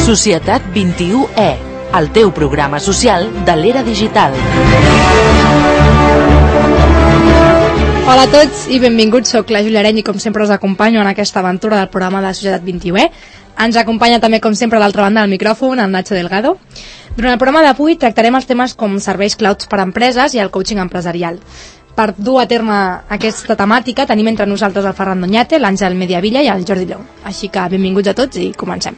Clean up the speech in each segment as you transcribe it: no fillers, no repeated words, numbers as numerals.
Societat 21E, el teu programa social de l'era digital. Hola a tots i benvinguts, soc la Júlia Areny i com sempre us acompanyo en aquesta aventura del programa de Societat 21E. Ens acompanya també com sempre a l'altra banda del micròfon el Nacho Delgado. Durant el programa d'avui tractarem els temes com serveis clouds per a empreses i el coaching empresarial. Per dur a terme aquesta temàtica tenim entre nosaltres el Ferran Doñate, l'Àngel Mediavilla i el Jordi Lleó. Així que benvinguts a tots i comencem.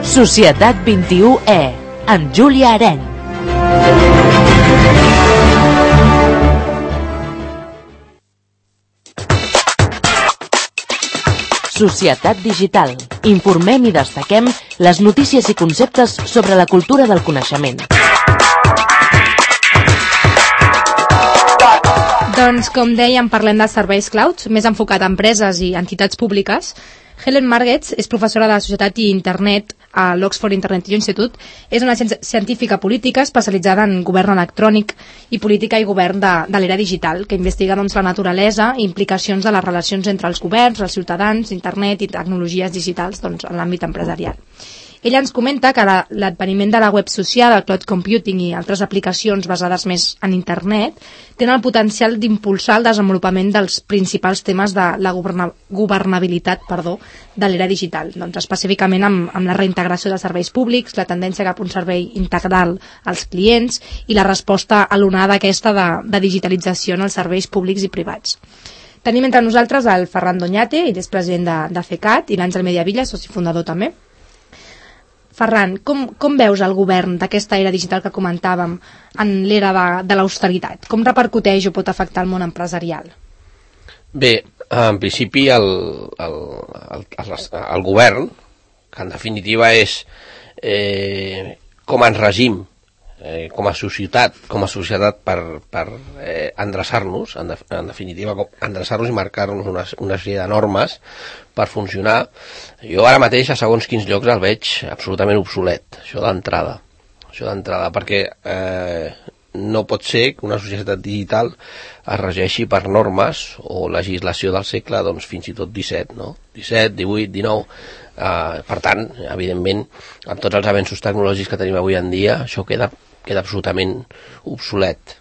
Societat 21E, amb Júlia Areny. Societat digital. Informem i destaquem les notícies i conceptes sobre la cultura del coneixement. Doncs, com dèiem, parlem de serveis clouds, més enfocat a empreses i entitats públiques. Helen Margetts és professora de Societat i Internet a l'Oxford Internet Institute. És una científica política especialitzada en govern electrònic i política i govern de l'era digital, que investiga la naturalesa i implicacions de les relacions entre els governs, els ciutadans, internet i tecnologies digitals en l'àmbit empresarial. Ella ens comenta que l'adveniment de la web social, el cloud computing i altres aplicacions basades més en internet tenen el potencial d'impulsar el desenvolupament dels principals temes de la governabilitat de l'era digital, específicament amb la reintegració de serveis públics, la tendència cap a un servei integral als clients i la resposta a l'onada aquesta de digitalització en els serveis públics i privats. Tenim entre nosaltres el Ferran Doñate, ell és president de FECAT, i l'Àngel Mediavilla, soci fundador també. Ferran, com veus el govern d'aquesta era digital que comentàvem en l'era de l'austeritat? Com repercuteix o pot afectar el món empresarial? Bé, en principi el govern, que en definitiva és com ens regim, com a societat per endreçar-nos, en definitiva endreçar-nos i marcar-nos una sèrie de normes per funcionar. Jo ara mateix a segons quins llocs el veig absolutament obsolet, això d'entrada, perquè no pot ser que una societat digital es regeixi per normes o legislació del segle, fins i tot 17, no? 17, 18, 19... per tant, evidentment, amb tots els avenços tecnològics que tenim avui en dia, això queda absolutament obsolet.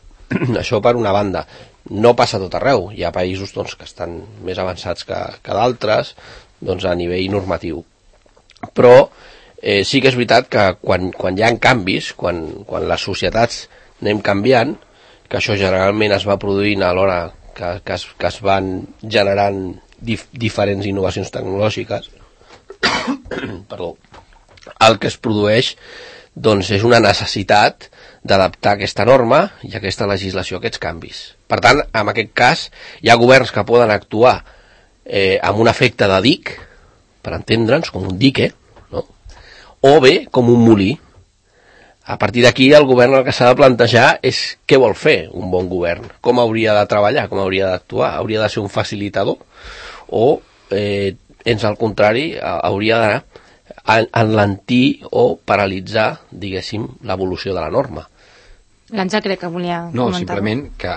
Això per una banda. No passa tot arreu. Hi ha països que estan més avançats que d'altres a nivell normatiu. Però sí que és veritat que quan hi ha canvis, quan les societats anem canviant, que això generalment es va produint a l'hora que es van generant diferents innovacions tecnològiques, perdó, el que es produeix és una necessitat d'adaptar aquesta norma i aquesta legislació a aquests canvis. Per tant, en aquest cas, hi ha governs que poden actuar amb un efecte de dic, per entendre'ns, com un dique, no? O bé com un molí. A partir d'aquí, el govern el que s'ha de plantejar és què vol fer un bon govern, com hauria de treballar, com hauria d'actuar, hauria de ser un facilitador o, al contrari, hauria d'anar enlentir o paralitzar, diguéssim, l'evolució de la norma. L'Àngel crec que volia comentar. No, simplement que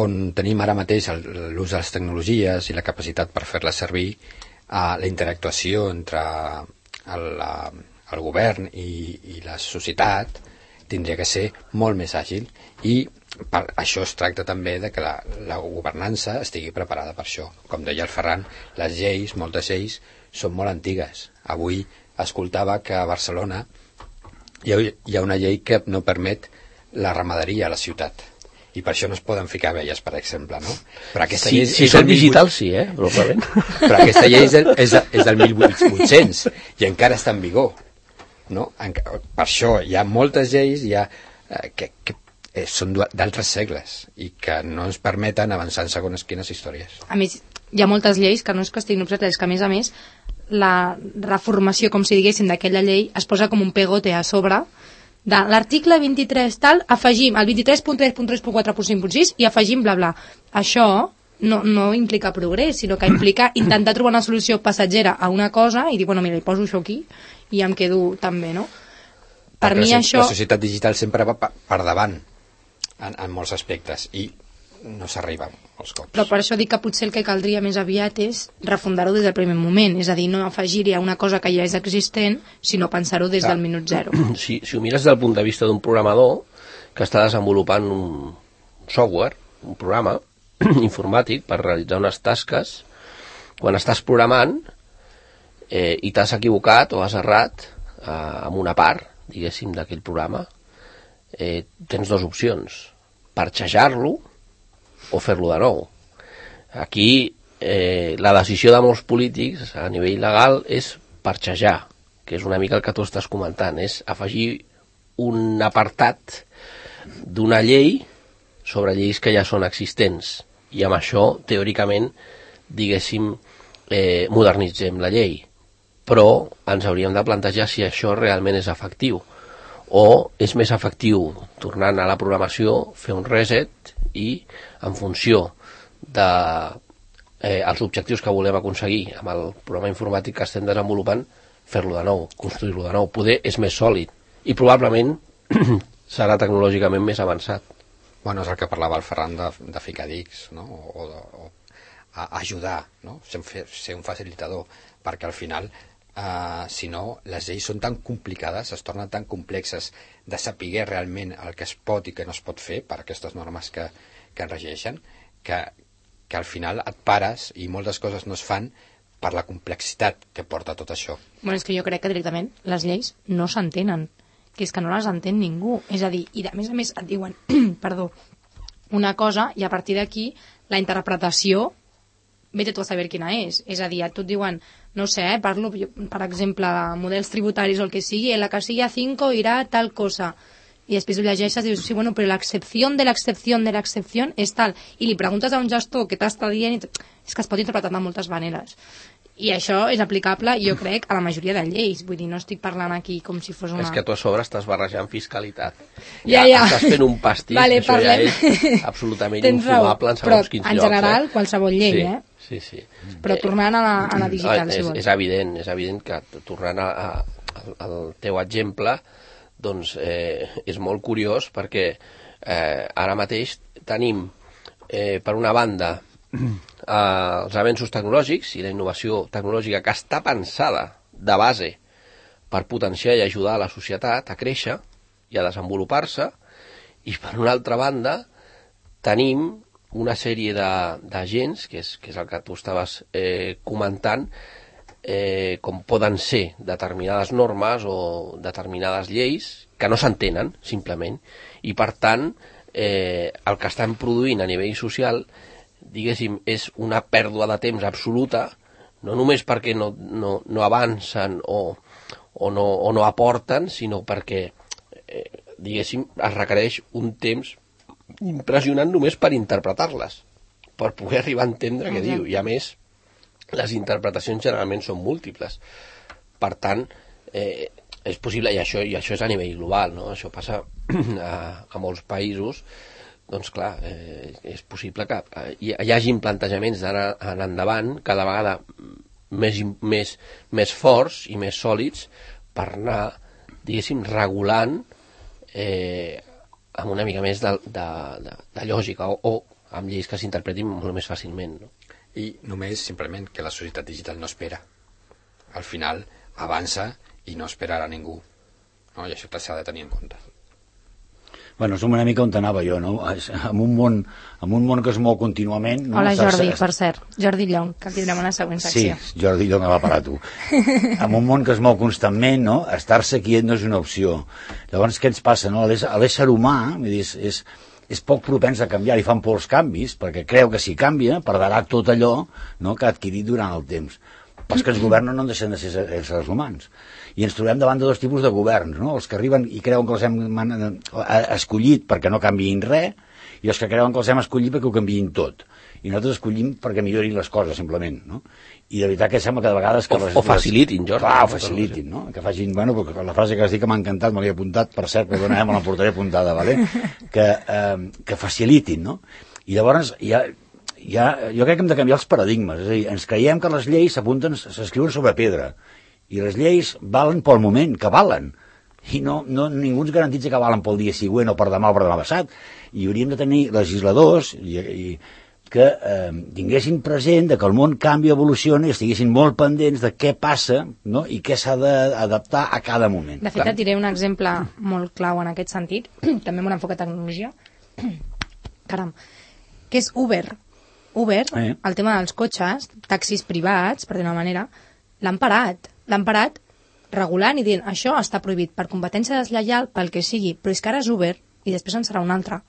on tenim ara mateix l'ús de les tecnologies i la capacitat per fer-les servir, la interactuació entre el govern i la societat tindria que ser molt més àgil, i per això es tracta també de que la governança estigui preparada per això. Com deia el Ferran, les lleis, moltes lleis, són molt antigues. Avui escoltava que a Barcelona hi ha una llei que no permet la ramaderia a la ciutat, i per això no es poden ficar abelles, per exemple, no? Però aquesta llei si són digital, sí, probablement. Però aquesta llei és del 1800 i encara està en vigor, no? Per això hi ha moltes lleis que són d'altres segles i que no ens permeten avançar en segons quines històries. A més, hi ha moltes lleis que no és que estiguin obsoletes, que a més la reformació, com si diguéssim, d'aquella llei es posa com un pegote a sobre de l'article 23 tal, afegim el 23.3.3.4.5.6 i afegim bla bla. Això no implica progrés, sinó que implica intentar trobar una solució passatgera a una cosa i dir, mira, hi poso això aquí i em quedo també, no? Per mi això... La societat digital sempre va per davant en molts aspectes, i no s'arriba als cops. Però per això dic que potser el que caldria més aviat és refundar-ho des del primer moment, és a dir, no afegir-hi a una cosa que ja és existent, sinó pensar-ho des del minut zero. Si ho mires des del punt de vista d'un programador que està desenvolupant un software, un programa informàtic per realitzar unes tasques, quan estàs programant i t'has equivocat o has errat amb una part, diguéssim, d'aquell programa, tens dues opcions: parxejar-lo o fer-lo de nou. Aquí la decisió de molts polítics a nivell legal és parxejar, que és una mica el que tu estàs comentant, és afegir un apartat d'una llei sobre lleis que ja són existents, i amb això, teòricament, diguéssim, modernitzem la llei. Però ens hauríem de plantejar si això realment és efectiu, o és més efectiu, tornant a la programació, fer un reset i, en funció dels objectius que volem aconseguir amb el programa informàtic que estem desenvolupant, fer-lo de nou, construir-lo de nou. Poder és més sòlid i probablement serà tecnològicament més avançat. Bueno, és el que parlava el Ferran de ficar dics, no? o ajudar, no? Ser un facilitador, perquè al final, si no, les lleis són tan complicades, es tornen tan complexes de saber realment el que es pot i que no es pot fer per aquestes normes que en regeixen, que al final et pares i moltes coses no es fan per la complexitat que porta tot això. Bueno, és que jo crec que directament les lleis no s'entenen, que és que no les entén ningú. És a dir, i a més et diuen perdó, una cosa i a partir d'aquí la interpretació vete tu a saber quina és. És a dir, a tu et diuen, no sé, parlo, per exemple, models tributaris o el que sigui, en la casilla 5 irà tal cosa. I després ho llegeixes i dius, sí, bueno, però l'excepció de l'excepció de l'excepció és tal. I li preguntes a un gestor què t'està dient, és que es pot interpretar de moltes maneres. I això és aplicable, jo crec, a la majoria de lleis. Vull dir, no estic parlant aquí com si fos una... És que tu a sobre estàs barrejant fiscalitat. Ja. Estàs fent un pastís, vale, això parlem. Ja és absolutament infumable en segons quins llocs. Però, en general, qualsevol llei, Sí, sí. Però tornant a la digital, si vols. És evident que, tornant al teu exemple, doncs és molt curiós perquè ara mateix tenim, per una banda, els avenços tecnològics i la innovació tecnològica que està pensada de base per potenciar i ajudar a la societat a créixer i a desenvolupar-se, i per una altra banda tenim una sèrie d'agents, que és el que tu estaves comentant, com poden ser determinades normes o determinades lleis que no s'entenen, simplement, i per tant el que estan produint a nivell social, diguéssim, és una pèrdua de temps absoluta, no només perquè no avancen o no aporten, sinó perquè, diguéssim, es requereix un temps impressionant només per interpretar-les, per poder arribar a entendre què diu. I a més, les interpretacions generalment són múltiples. Per tant, és possible, i això és a nivell global, no? Això passa a molts països. Doncs clar, és possible que hi hagi plantejaments d'anar endavant cada vegada més forts i més sòlids per anar, diguéssim, regulant amb una mica més de lògica o amb lleis que s'interpretin molt més fàcilment, no? I només, simplement, que la societat digital no espera. Al final avança i no esperarà ningú, no? I això s'ha de tenir en compte. Bueno, som una mica on anava jo, no? En un món que es mou contínuament... No? Hola, Jordi, per cert. Jordi Llong, que tindrem una següent secció. Sí, Jordi Llong va parar tu. En un món que es mou constantment, no? Estar-se quiet no és una opció. Llavors, què ens passa, no? L'ésser humà, vull dir, és poc propens a canviar, i fan por els canvis, perquè creu que si canvia, perdrà tot allò, no?, que ha adquirit durant el temps. Però els que ens governen no deixen de ser éssers humans. I ens trobem davant de dos tipus de governs, no? Els que arriben i creuen que els hem escollit perquè no canviïn res, i els que creuen que els hem escollit perquè ho canviïn tot. I nosaltres escollim perquè millorin les coses, simplement, no? I de veritat que sembla que de vegades... O facilitin, Jordi. Clar, o facilitin, no? Que facin... Bueno, la frase que has dit que m'ha encantat, me l'he apuntat, per cert, perdona, me la portaré apuntada, ¿vale? Que facilitin, no? I llavors jo crec que hem de canviar els paradigmes. És a dir, ens creiem que les lleis s'escriuen sobre pedra, i les lleis valen pel moment, que valen. i ningú ens garantitza que valen pel dia següent o per demà o per demà passat, i hauríem de tenir legisladors que tinguessin present que el món canvia, evoluciona, i estiguessin molt pendents de què passa, no? I què s'ha d'adaptar a cada moment. De fet, et diré un exemple molt clau en aquest sentit, també amb un enfoc de tecnologia, caram, que és Uber. Uber, el tema dels cotxes, taxis privats, per dir-ho d'una manera, l'han parat regulant i dient això està prohibit per competència deslleial, pel que sigui, però és que ara és Uber i després en serà un altre.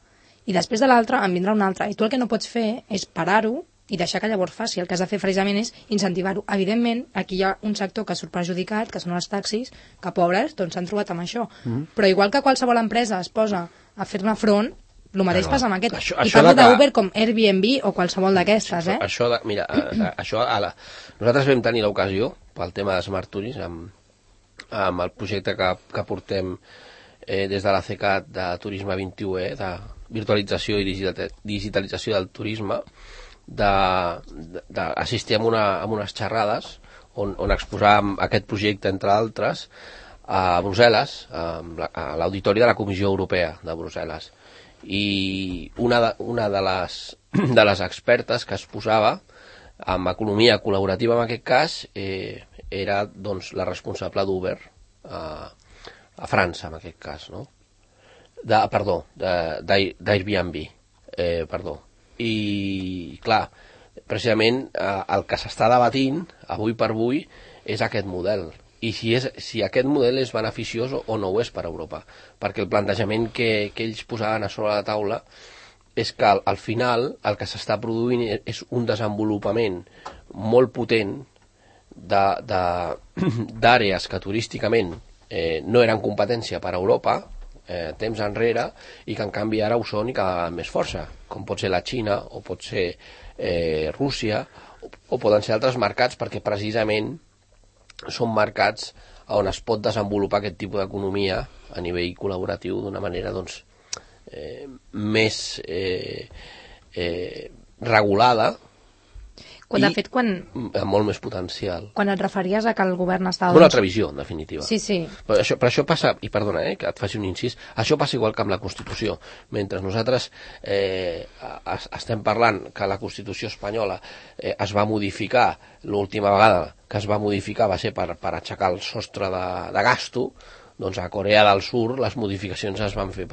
I després de l'altre en vindrà un altre. I tu el que no pots fer és parar-ho i deixar que llavors faci. El que has de fer precisament és incentivar-ho. Evidentment, aquí hi ha un sector que surt perjudicat, que són els taxis, que pobres doncs s'han trobat amb això. Però igual que qualsevol empresa es posa a fer-ne front, el mateix passa amb aquest. I parlo d'Uber com Airbnb o qualsevol d'aquestes, Nosaltres vam tenir l'ocasió, pel tema de Smart Tourism, amb el projecte que portem des de la CECAT de Turisme 21, de virtualització i digitalització del turisme, d'assistir a unes xerrades on exposàvem aquest projecte, entre altres, a Brussel·les, a l'auditori de la Comissió Europea de Brussel·les. I una de les expertes que es posava en economia col·laborativa, en aquest cas, era doncs, la responsable d'Uber a França, en aquest cas, no? d'Airbnb, I, clar, precisament el que s'està debatint avui per avui és aquest model. I si aquest model és beneficiós o no ho és per a Europa. Perquè el plantejament que ells posaven a sobre la taula és que al final el que s'està produint és un desenvolupament molt potent d'àrees que turísticament no eren competència per a Europa temps enrere i que en canvi ara ho són i cada vegada més força, com pot ser la Xina o pot ser Rússia o poden ser altres mercats, perquè precisament són mercats on es pot desenvolupar aquest tipus d'economia a nivell col·laboratiu d'una manera doncs, més regulada amb molt més potencial. Quan et referies a que el govern estava... Una altra visió, en definitiva. Sí. Però això passa, i perdona que et faci un incís, això passa igual que amb la Constitució. Mentre nosaltres estem parlant que la Constitució espanyola es va modificar, l'última vegada que es va modificar va ser per aixecar el sostre de gasto, doncs a Corea del Sur les modificacions es van fer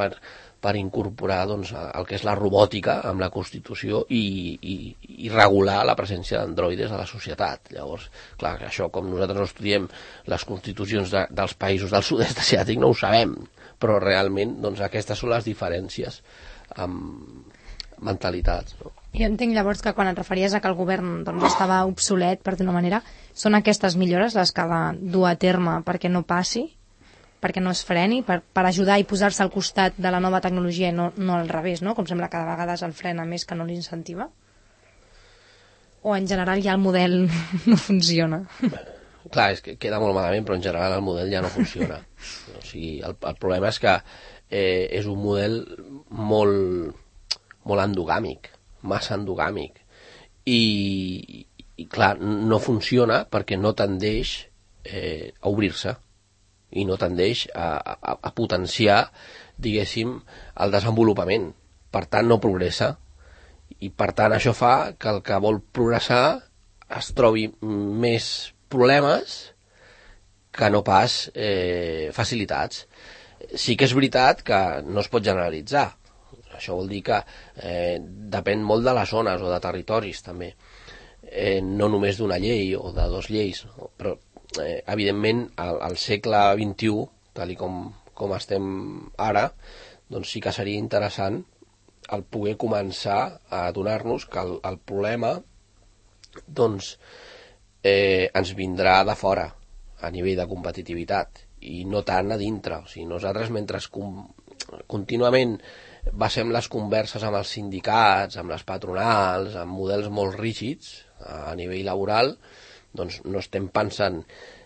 per incorporar doncs, el que és la robòtica amb la Constitució i regular la presència d'androides a la societat. Llavors, clar, això com nosaltres no estudiem les constitucions dels països del sud-est asiàtic no ho sabem, però realment doncs, aquestes són les diferències amb mentalitats. No? Jo entenc llavors que quan et referies a que el govern doncs, estava obsolet, per dir-ho manera, són aquestes millores les que ha de dur a terme perquè no passi? Perquè no es freni, per ajudar i posar-se al costat de la nova tecnologia i no al revés, no? Com sembla que de vegades el frena més que no l'incentiva? O en general ja el model no funciona? Clar, és que queda molt malament, però en general el model ja no funciona. O sigui, el problema és que és un model molt endogàmic, massa endogàmic. I clar, no funciona perquè no tendeix a obrir-se i no tendeix a potenciar, diguéssim, el desenvolupament. Per tant, no progressa. I, per tant, això fa que el que vol progressar es trobi més problemes que no pas facilitats. Sí que és veritat que no es pot generalitzar. Això vol dir que depèn molt de les zones o de territoris, també. No només d'una llei o de dues lleis, no? Però evidentment al segle XXI, tal com estem ara, doncs sí que seria interessant el poder començar a adonar-nos que el problema doncs ens vindrà de fora a nivell de competitivitat i no tant a dintre. O sigui, nosaltres mentre contínuament basem les converses amb els sindicats, amb les patronals, amb models molt rígids a nivell laboral, doncs no estem pensant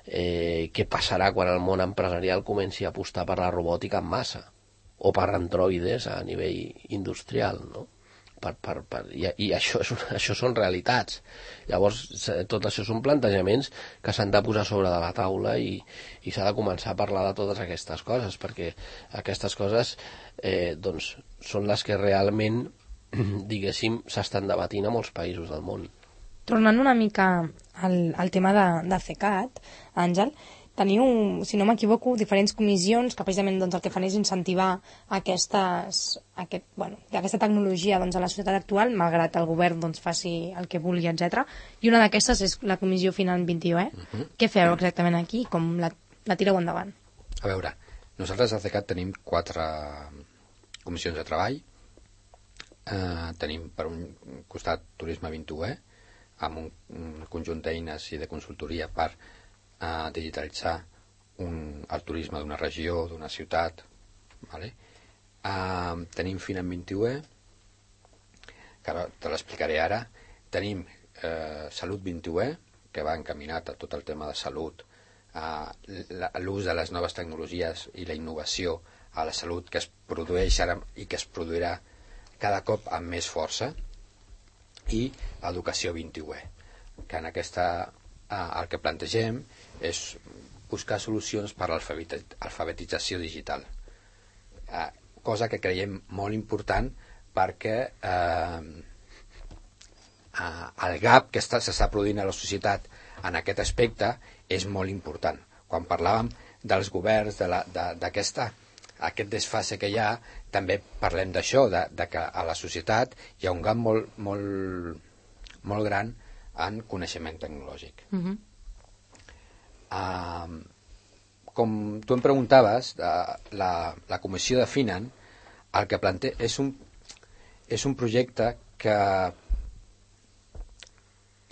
què passarà quan el món empresarial comenci a apostar per la robòtica en massa o per androides a nivell industrial, no? I això són realitats. Llavors, tot això són plantejaments que s'han de posar sobre de la taula i s'ha de començar a parlar de totes aquestes coses, perquè aquestes coses doncs, són les que realment, diguéssim, s'estan debatint a molts països del món. Tornant una mica al tema de CECAT, Àngel, teniu, si no m'equivoco, diferents comissions que precisament doncs, el que fan és incentivar aquesta tecnologia doncs, a la societat actual, malgrat el govern doncs, faci el que vulgui, etc. I una d'aquestes és la Comissió Final 21. Què feu exactament aquí? Com la tireu endavant? A veure, nosaltres a CECAT tenim 4 comissions de treball. Tenim per un costat Turisme 21, amb un conjunt d'eines i de consultoria per digitalitzar el turisme d'una regió, d'una ciutat. Vale? Tenim Final 21, que ara te l'explicaré ara. Tenim Salut 21, que va encaminat a tot el tema de salut, l'ús de les noves tecnologies i la innovació a la salut que es produeix ara i que es produirà cada cop amb més força, i Educació 21, que en aquesta el que plantegem és buscar solucions per a l'alfabetització digital, cosa que creiem molt important perquè el gap que s'està produint a la societat en aquest aspecte és molt important. Quan parlàvem dels governs, d'aquest desfase que hi ha, també parlem d'això, de que a la societat hi ha un gap molt gran en coneixement tecnològic. Com tu em preguntaves, la Comissió de Finan el que planteja és un projecte que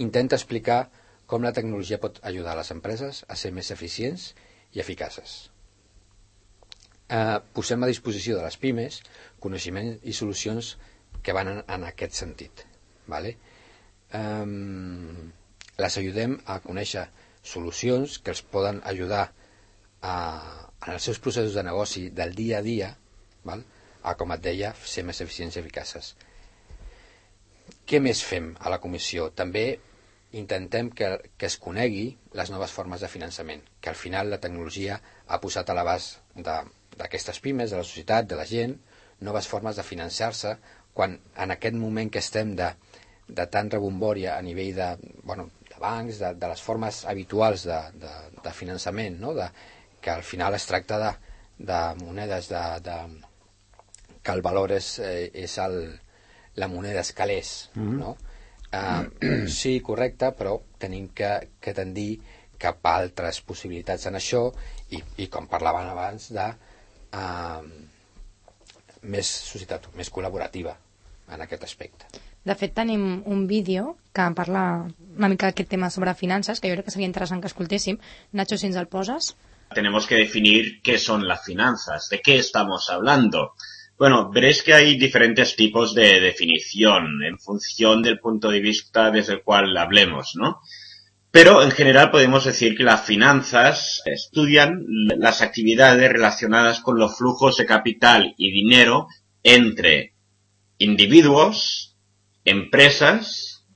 intenta explicar com la tecnologia pot ajudar a les empreses a ser més eficients i eficaces. Posem a disposició de les pimes coneixements i solucions que van en aquest sentit. Vale? Les ajudem a conèixer solucions que els poden ajudar en els seus processos de negoci del dia a dia, val? A, com et deia, ser més eficients i eficaces. Què més fem a la comissió? També intentem que es conegui les noves formes de finançament, que al final la tecnologia ha posat a l'abast d'aquestes pimes, de la societat, de la gent, noves formes de finançar-se, quan en aquest moment que estem de tant rebombòria a nivell de bancs, de les formes habituals de finançament, no? Que al final es tracta de monedes que el valor és la moneda escalés, no? Sí, correcte, però tenim que tendir cap a altres possibilitats en això i com parlaven abans de més societat, més col·laborativa en aquest aspecte. De fet, tenim un vídeo que parla una mica d'aquest tema sobre finances, que jo crec que seria interessant que escoltéssim. Nacho, si ens el poses. Tenemos que definir qué son las finanzas, de qué estamos hablando. Bueno, veréis que hay diferentes tipos de definición en función del punto de vista desde el cual hablemos, ¿no? Pero en general podemos decir que las finanzas estudian las actividades relacionadas con los flujos de capital y dinero entre individuos, empresas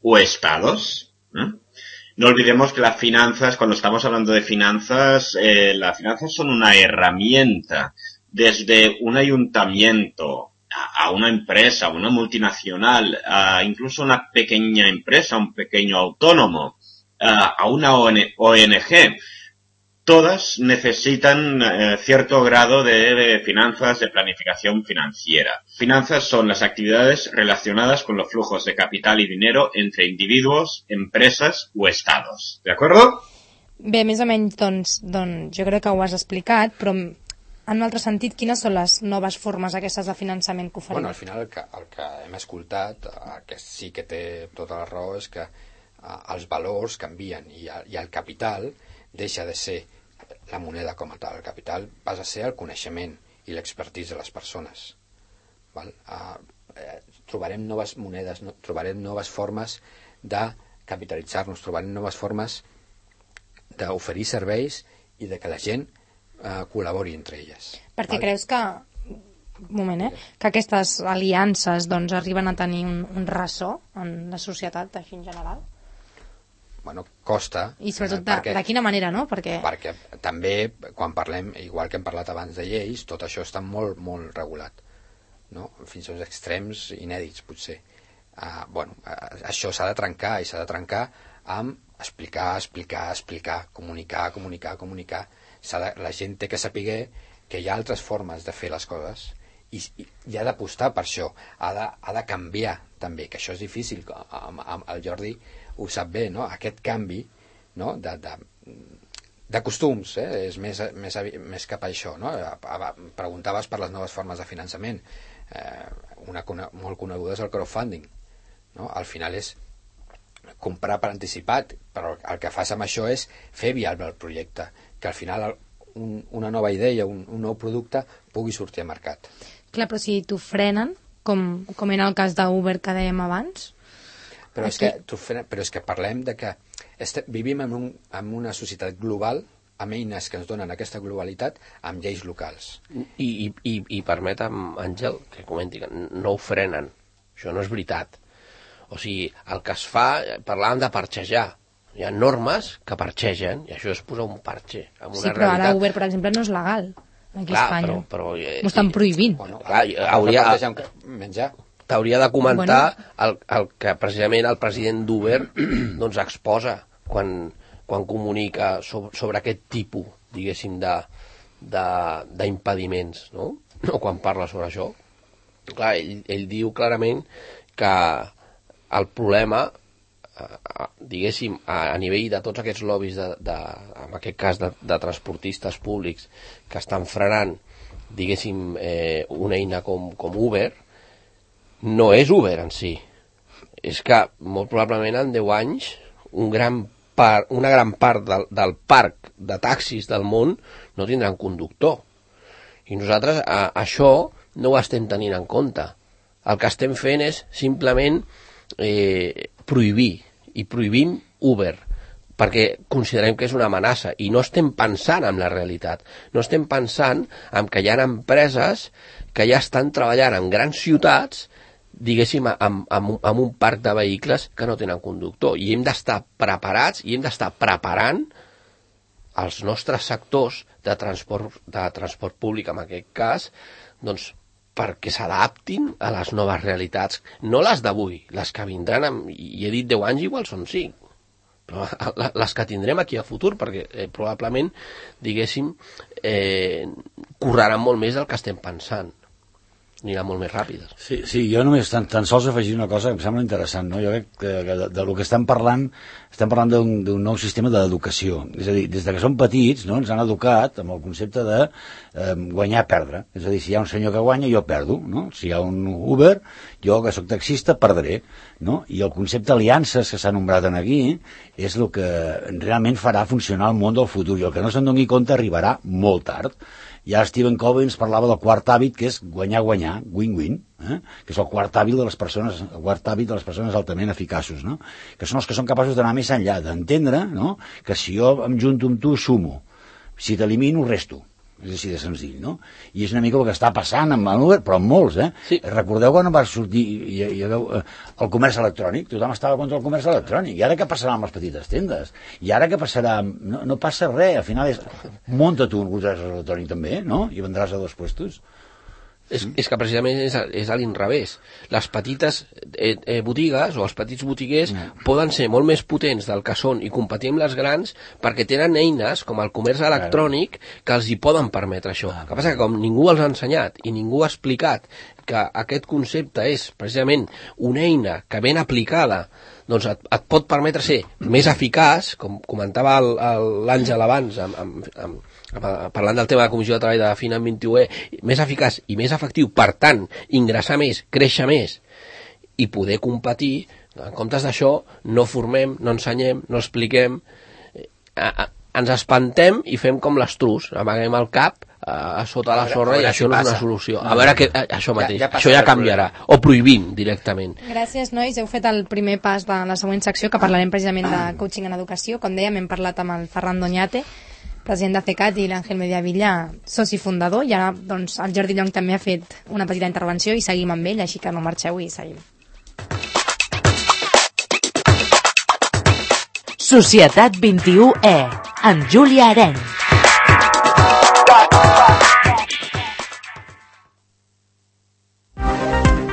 o estados. No olvidemos que las finanzas, cuando estamos hablando de finanzas, las finanzas son una herramienta. Desde un ayuntamiento a una empresa, a una multinacional, a incluso una pequeña empresa, un pequeño autónomo, a una ONG, todas necesitan cierto grado de finanzas, de planificación financiera. Finanzas son las actividades relacionadas con los flujos de capital y dinero entre individuos, empresas o estados. ¿De acuerdo? Bé, més o menys, doncs jo crec que ho has explicat, però en un altre sentit, quines són les noves formes aquestes de finançament que oferim? Bueno, al final el que hem escoltat, que sí que té tota la raó, és que els valors canvien i el capital deixa de ser la moneda com a tal. El capital passa a ser el coneixement i l'expertise de les persones. Val? Trobarem noves monedes, trobarem noves formes de capitalitzar-nos, trobarem noves formes d'oferir serveis i de que la gent col·labori entre elles. Perquè val? creus que que aquestes aliances doncs, arriben a tenir un ressò en la societat així en general? Bueno, costa. I sobretot de quina manera, no? Perquè també, quan parlem, igual que hem parlat abans de lleis, tot això està molt, molt regulat, no? Fins als extrems inèdits, potser. Això s'ha de trencar, i s'ha de trencar amb explicar, comunicar. La gent té que saber que hi ha altres formes de fer les coses i ha d'apostar per això, ha de canviar també, que això és difícil. El Jordi ho sap bé, no? Aquest canvi, no? de costums, és més cap a això, no? Preguntaves per les noves formes de finançament, una molt coneguda és el crowdfunding, no? Al final és comprar per anticipat, però el que fas amb això és fer viable el projecte, que al final una nova idea, un nou producte pugui sortir al mercat. Clar, però si t'ho frenen, com era el cas d'Uber que dèiem abans... Però és que parlem de que vivim en una societat global amb eines que ens donen aquesta globalitat amb lleis locals. I permetem, Àngel, que comenti que no ho frenen. Això no és veritat. O sigui, el que es fa, parlàvem de parxejar. Hi ha normes que parxegen i això és posar un parxe. Sí, però ara Uber, per exemple, no és legal aquí a Espanya. Però m'ho estan prohibint. T'hauria de comentar el que precisament el president d'Uber doncs exposa quan comunica sobre aquest tipus, diguéssim, d'impediments, no? Quan parla sobre això. Clar, ell diu clarament que el problema, diguéssim, a nivell de tots aquests lobbies, en aquest cas de transportistes públics que estan frenant, diguéssim, una eina com Uber, no és Uber en si. És que molt probablement en 10 anys una gran part del parc de taxis del món no tindran conductor. I nosaltres això no ho estem tenint en compte. El que estem fent és simplement prohibir, i prohibim Uber, perquè considerem que és una amenaça i no estem pensant en la realitat. No estem pensant en que hi ha empreses que ja estan treballant en grans ciutats, diguéssim, amb un parc de vehicles que no tenen conductor, i hem d'estar preparats i hem d'estar preparant els nostres sectors de transport públic, en aquest cas, doncs, perquè s'adaptin a les noves realitats, no les d'avui, les que vindran, i he dit 10 anys, igual són 5, però les que tindrem aquí a futur, perquè probablement, diguéssim, correran molt més del que estem pensant, aniran molt més ràpides. Sí, jo només tan sols afegir una cosa que em sembla interessant, no? Jo crec que del que estem parlant d'un nou sistema d'educació. És a dir, des que som petits, no, ens han educat amb el concepte de guanyar, perdre. És a dir, si hi ha un senyor que guanya, jo perdo, no? Si hi ha un Uber, jo que sóc taxista perdré, no? I el concepte aliances que s'ha nombrat aquí és el que realment farà funcionar el món del futur, i el que no se'n doni compte arribarà molt tard. Ja Stephen Covey ens parlava del quart hàbit, que és guanyar-guanyar, win-win, que és el quart hàbit de les persones altament eficaços, no? Que són els que són capaços d'anar més enllà, d'entendre, no? Que si jo em junto amb tu, sumo. Si t'elimino, resto. És així de senzill, no? I és una mica el que està passant amb Uber, però amb molts, Sí. Recordeu quan va sortir el comerç electrònic? Tothom estava contra el comerç electrònic. I ara què passarà amb les petites tendes? I ara què passarà? No passa res, al final munta tu un comerç electrònic també, no? I vendràs a 2 puestos. És que precisament és a l'inrevés. Les petites botigues o els petits botiguers poden ser molt més potents del que són i competir amb les grans perquè tenen eines com el comerç electrònic que els hi poden permetre això. El que passa que com ningú els ha ensenyat i ningú ha explicat que aquest concepte és precisament una eina que ben aplicada doncs et pot permetre ser més eficaç, com comentava l'Àngel abans parlant del tema de la Comissió de Treball de la FINA en 21E, més eficaç i més efectiu, per tant, ingressar més, créixer més i poder competir. En comptes d'això, no formem, no ensenyem, no expliquem, ens espantem i fem com l'estruç, amaguem el cap a sota la sorra i això no és una solució. A veure que això mateix, això ja canviarà, o prohibim directament. Gràcies, nois, heu fet el primer pas de la següent secció, que parlarem precisament de coaching en educació. Com dèiem, hem parlat amb el Ferran Doñate, president de CECAT, i l'Àngel Mediavilla, soci fundador, i ara doncs, el Jordi Llong també ha fet una petita intervenció i seguim amb ell, així que no marxeu i seguim. Societat 21E, amb Júlia Arenys.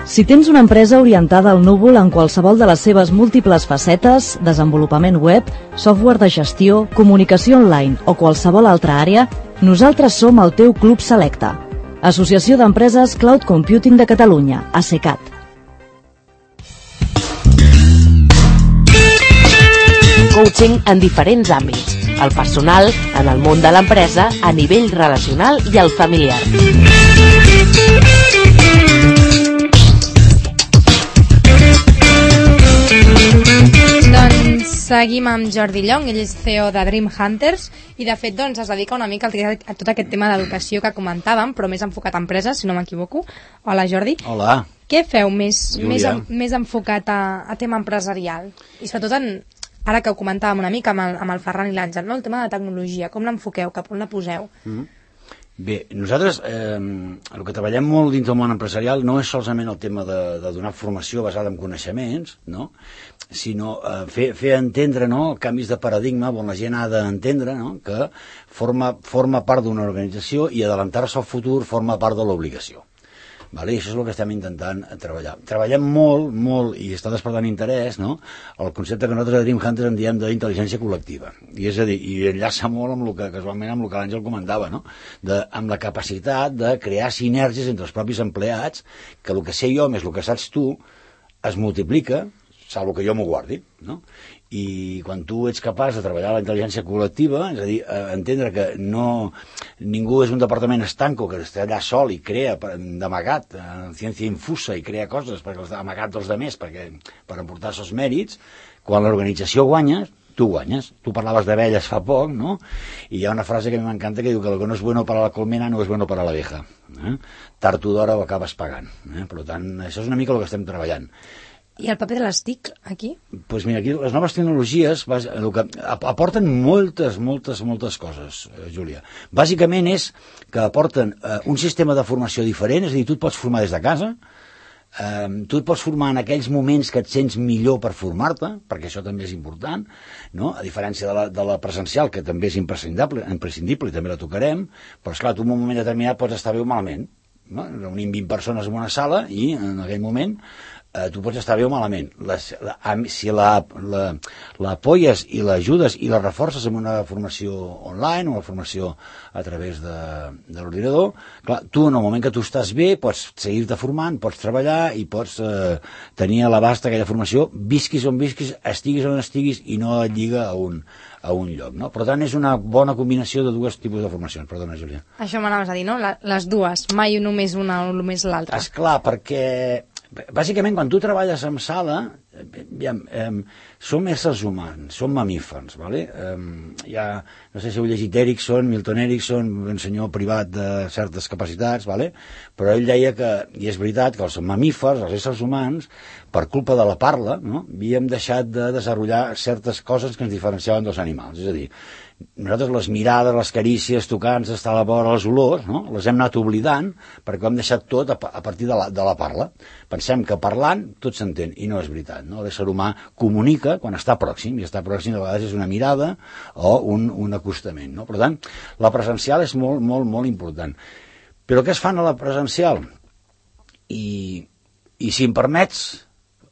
Si tens una empresa orientada al núvol en qualsevol de les seves múltiples facetes, desenvolupament web, software de gestió, comunicació online o qualsevol altra àrea, nosaltres som el teu club selecte. Associació d'Empreses Cloud Computing de Catalunya, ACECAT. Coaching en diferents àmbits, el personal, en el món de l'empresa, a nivell relacional i el familiar. Doncs seguim amb Jordi Llong, ell és CEO de Dream Hunters i de fet doncs, es dedica una mica a tot aquest tema d'educació que comentàvem, però més enfocat a empreses, si no m'equivoco. Hola Jordi. Hola. Què feu més enfocat a tema empresarial? I sobretot ara que ho comentàvem una mica amb el Ferran i l'Àngel, no? El tema de tecnologia, com l'enfoqueu, cap on la poseu? Bé, nosaltres el que treballem molt dins del món empresarial no és solament el tema de donar formació basada en coneixements, no? Sinó fer entendre, no, canvis de paradigma on la gent ha d'entendre, no, que forma part d'una organització i adelantar-se al futur forma part de l'obligació. Vale? I això és el que estem intentant treballar. Treballem molt, i està despertant interès, no? El concepte que nosaltres a Dream Hunters en diem d'intel·ligència col·lectiva. I és a dir, i enllaça molt amb el que casualment amb el que l'Àngel comentava, no? Amb la capacitat de crear sinergies entre els propis empleats, que el que sé jo més el que saps tu es multiplica, salvo que jo m'ho guardi, no? I quan tu ets capaç de treballar la intel·ligència col·lectiva, és a dir, entendre que ningú és un departament estanco que està allà sol i crea d'amagat, ciència infusa, i crea coses amagat dels demés per emportar els mèrits, quan l'organització guanya, tu guanyes. Tu parlaves d'abelles fa poc, no? I hi ha una frase que a mi m'encanta que diu que el que no és bueno para la colmena no és bueno para la abeja. Tard o d'hora ho acabes pagant. Per tant, això és una mica el que estem treballant. I el paper de les TIC, aquí? Doncs mira, aquí les noves tecnologies aporten moltes coses, Júlia. Bàsicament és que aporten un sistema de formació diferent, és a dir, tu et pots formar des de casa, tu et pots formar en aquells moments que et sents millor per formar-te, perquè això també és important, no? A diferència de la presencial, que també és imprescindible i també la tocarem, però esclar, tu en un moment determinat pots estar bé o malament, no? Reunim 20 persones en una sala i en aquell moment tu pots estar bé o malament. Si l'apoies i l'ajudes i la reforces amb una formació online o una formació a través de l'ordinador, clar, tu en el moment que tu estàs bé pots seguir-te formant, pots treballar i pots tenir a l'abast aquella formació, visquis on visquis, estiguis on estiguis i no et lliga a un lloc, no? Per tant, és una bona combinació de dos tipus de formacions. Perdona, Júlia. Això m'anaves a dir, no? Les dues, mai només una o només l'altra. Esclar, perquè bàsicament, quan tu treballes en sala, som éssers humans, som mamífers, ¿vale? No sé si heu llegit Milton Erickson, un senyor privat de certes capacitats, ¿vale? Però ell deia que, i és veritat, que els mamífers, els éssers humans, per culpa de la parla, no? Havíem deixat de desenvolupar certes coses que ens diferenciaven dels animals, és a dir, nosaltres les mirades, les carícies, tocants, estar a la vora, les olors, no? Les hem anat oblidant perquè ho hem deixat tot a partir de la parla. Pensem que parlant tot s'entén, i no és veritat, no? L'ésser humà comunica quan està pròxim, i estar pròxim a vegades és una mirada o un acostament, no? Per tant, la presencial és molt important. Però què es fan a la presencial? I si em permets,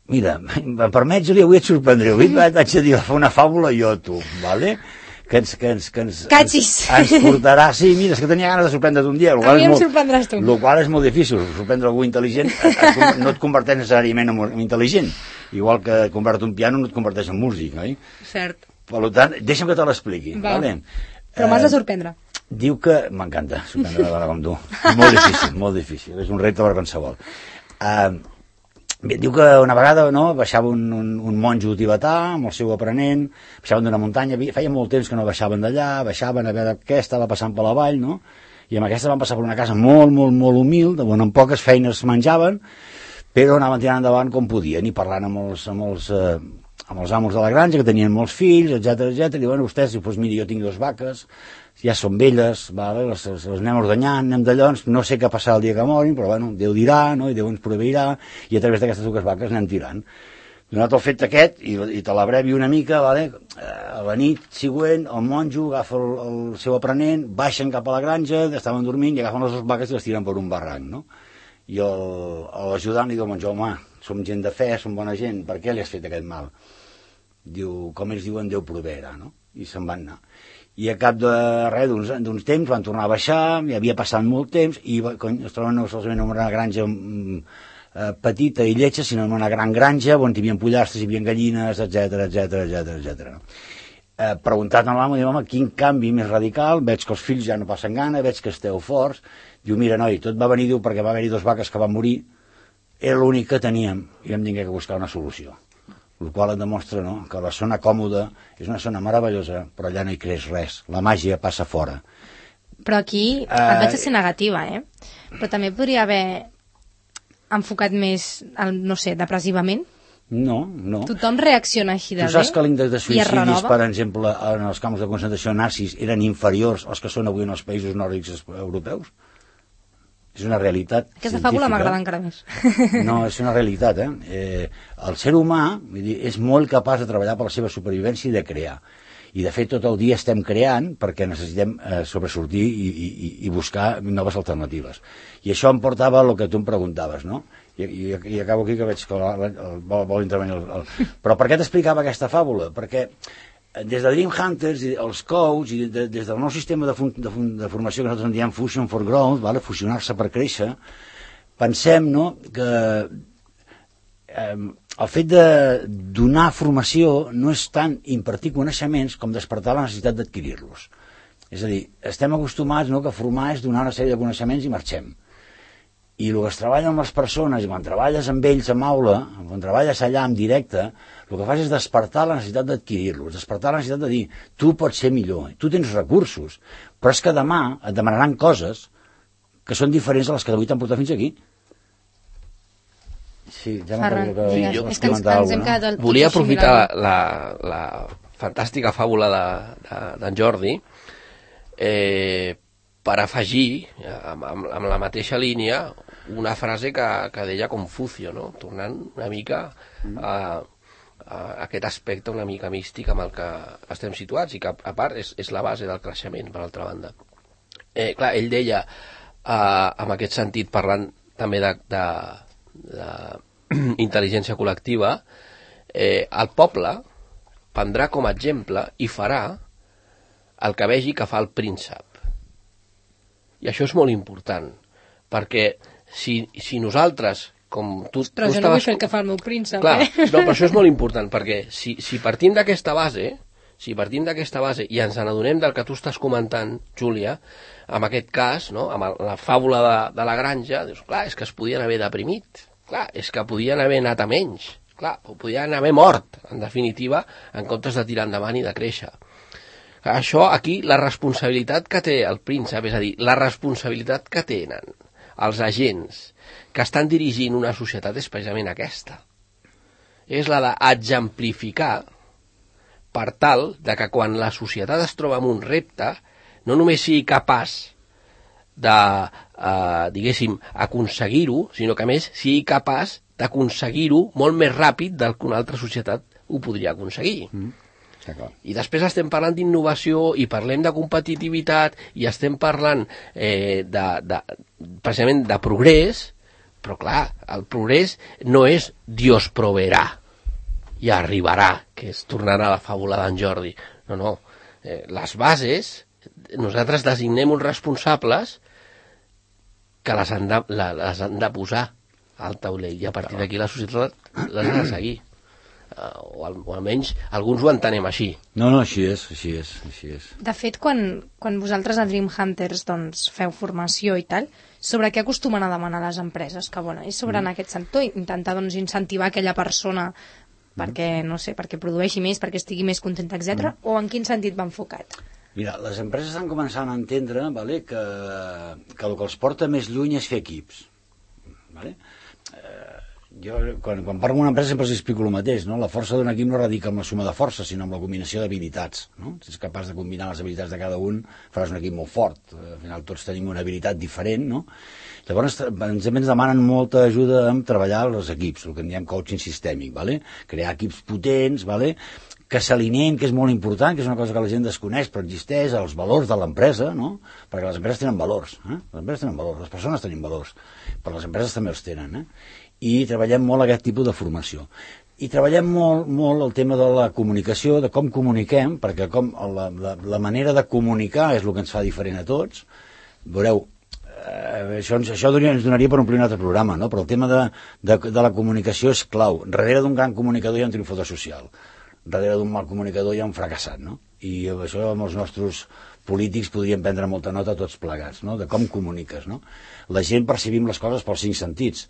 mira, em permets, Júlia, avui et sorprendré, avui vaig a dir una fàbula jo a tu, ¿vale? Que ens portarà... Sí, mira, és que tenia ganes de sorprendre't un dia. A mi em sorprendràs tu. El qual és molt difícil. Sorprendre algú intel·ligent no et converteix necessàriament en intel·ligent. Igual que convertir un piano no et converteix en músic, oi? Cert. Per tant, deixa'm que te l'expliqui. Vale? Però m'has de sorprendre. Diu que... M'encanta sorprendre una dona com tu. Molt difícil. És un repte per qualsevol. Bé, diu que una vegada baixava un monjo tibetà amb el seu aprenent, baixaven d'una muntanya, feia molt temps que no baixaven d'allà, baixaven a veure què estava passant per la vall, no? I amb aquesta van passar per una casa molt humil, on amb poques feines menjaven, però anaven tirant endavant com podien i parlant amb els amb els amos de la granja, que tenien molts fills, etc etc. I bueno, vostès, doncs mira, jo tinc 2 vaques, ja són velles, vale? les anem ordenyant, anem d'allò, no sé què passarà el dia que morin, però bueno, Déu dirà, no? I Déu ens proveirà, i a través d'aquestes 2 vaques anem tirant. Donat el fet aquest, i te l'abrevi una mica, vale? A la nit següent el monjo agafa el seu aprenent, baixen cap a la granja, estaven dormint i agafen les 2 vaques i les tiren per un barranc, no? I l'ajudant li diu al monjo, home, som gent de fe, som bona gent, per què li has fet aquest mal? Diu, com ells diuen, Déu proveerà, no? I se'n van anar. I a cap de res, d'uns temps, van tornar a baixar, hi havia passat molt temps, i es troben no solament en una granja petita i lletja, sinó en una gran granja on hi havia pollastres, hi havia gallines, etc. Preguntat a l'amo, diu, home, quin canvi més radical, veig que els fills ja no passen gana, veig que esteu forts. Diu, mira, noi, tot va venir, diu, perquè va haver-hi 2 vaques que van morir, era l'únic que teníem, i vam haver que buscar una solució. El qual et demostra, no?, que la zona còmoda és una zona meravellosa, però allà no hi creix res, la màgia passa fora. Però aquí et vaig a ser negativa, però també podria haver enfocat més, no sé, depressivament? No. Tothom reacciona així de bé? Tu saps que l'índex de i es suïcidis, renova? per exemple, en els camps de concentració nazis eren inferiors als que són avui en els països nòrdics europeus? És una realitat Aquesta científica. fàbula m'agrada encara més. No, és una realitat, el ser humà, vull dir, és molt capaç de treballar per la seva supervivència i de crear. I de fet tot el dia estem creant perquè necessitem sobresortir i buscar noves alternatives. I això em portava al que tu em preguntaves, no? I acabo aquí que veig que vol intervenir Però per què t'explicava aquesta fàbula? Perquè des de Dream Hunters, els coach, i des del nou sistema de formació que nosaltres en diem Fusion for Growth, vale? Fusionar-se per créixer, pensem, no?, que el fet de donar formació no és tant impartir coneixements com despertar la necessitat d'adquirir-los. És a dir, estem acostumats, no?, que formar és donar una sèrie de coneixements i marxem. I el que es treballa amb les persones, i quan treballes amb ells en aula, quan treballes allà en directe, el que fas és despertar la necessitat d'adquirir-los, despertar la necessitat de dir, tu pots ser millor, tu tens recursos, però és que demà et demanaran coses que són diferents a les que d'avui t'han portat fins aquí. Sí, ja Ferran, digues, és que ens hem quedat al tot Volia així aprofitar mirant. la fantàstica fàbula d'en Jordi per afegir, amb la mateixa línia, una frase que deia Confucio, no? Tornant una mica a aquest aspecte una mica místic amb el que estem situats i que a part és la base del creixement, per altra banda. Clar, ell deia, en aquest sentit, parlant també de intel·ligència col·lectiva, el poble prendrà com a exemple i farà el que vegi que fa el príncep. I això és molt important, perquè si nosaltres, com tu... Però jo no vull fer el que fa el meu príncep, Clar, no, però això és molt important, perquè si partim d'aquesta base, i ens n'adonem del que tu estàs comentant, Júlia, en aquest cas, no, amb la fàbula de la granja, dius, clar, és que es podien haver deprimit, clar, és que podien haver anat a menys, clar, o podien haver mort, en definitiva, en comptes de tirar endavant i de créixer. Això aquí, la responsabilitat que té el príncep, és a dir, la responsabilitat que tenen els agents que estan dirigint una societat és precisament aquesta. És la d'exemplificar per tal de que quan la societat es troba en un repte, no només sigui capaç de, diguéssim, aconseguir-ho, sinó que a més sigui capaç d'aconseguir-ho molt més ràpid del que una altra societat ho podria aconseguir. I després estem parlant d'innovació i parlem de competitivitat i estem parlant precisament de progrés, però clar, el progrés no és Dios proveerà i arribarà, que és tornar a la fàbula d'en Jordi. No. Les bases, nosaltres designem uns responsables que les han de posar al taulell i a partir d'aquí la societat les ha de seguir. O almenys alguns ho entenem així. No, així és. De fet, quan vosaltres a Dream Hunters doncs, feu formació i tal, sobre què acostumen a demanar les empreses? Que bueno, és sobre en aquest sentit, intentar doncs, incentivar aquella persona perquè, no sé, perquè produeixi més, perquè estigui més contenta, etc. O en quin sentit va enfocat? Mira, les empreses estan començant a entendre, vale, que el que els porta més lluny és fer equips. Vale? Jo, quan parlo amb una empresa sempre els explico el mateix, no? La força d'un equip no radica en la suma de forces, sinó en la combinació d'habilitats, no? Si ets capaç de combinar les habilitats de cada un, faràs un equip molt fort. Al final tots tenim una habilitat diferent, no? Llavors ens demanen molta ajuda en treballar els equips, el que en diem coaching sistèmic, ¿vale? Crear equips potents, ¿vale? Que s'alineen, que és molt important, que és una cosa que la gent desconeix, però existeix, els valors de l'empresa, no? Perquè les empreses tenen valors, les empreses tenen valors, les persones tenen valors, però les empreses també els tenen, I treballem molt aquest tipus de formació. I treballem molt el tema de la comunicació, de com comuniquem, perquè la manera de comunicar és el que ens fa diferent a tots. Veureu, això ens donaria per omplir un altre programa, no? Però el tema de la comunicació és clau. Darrere d'un gran comunicador hi ha un triomfador social. Darrere d'un mal comunicador hi ha un fracassat, no? I això amb els nostres polítics podríem prendre molta nota tots plegats, no? De com comuniques, no? La gent percibim les coses pels 5 sentits.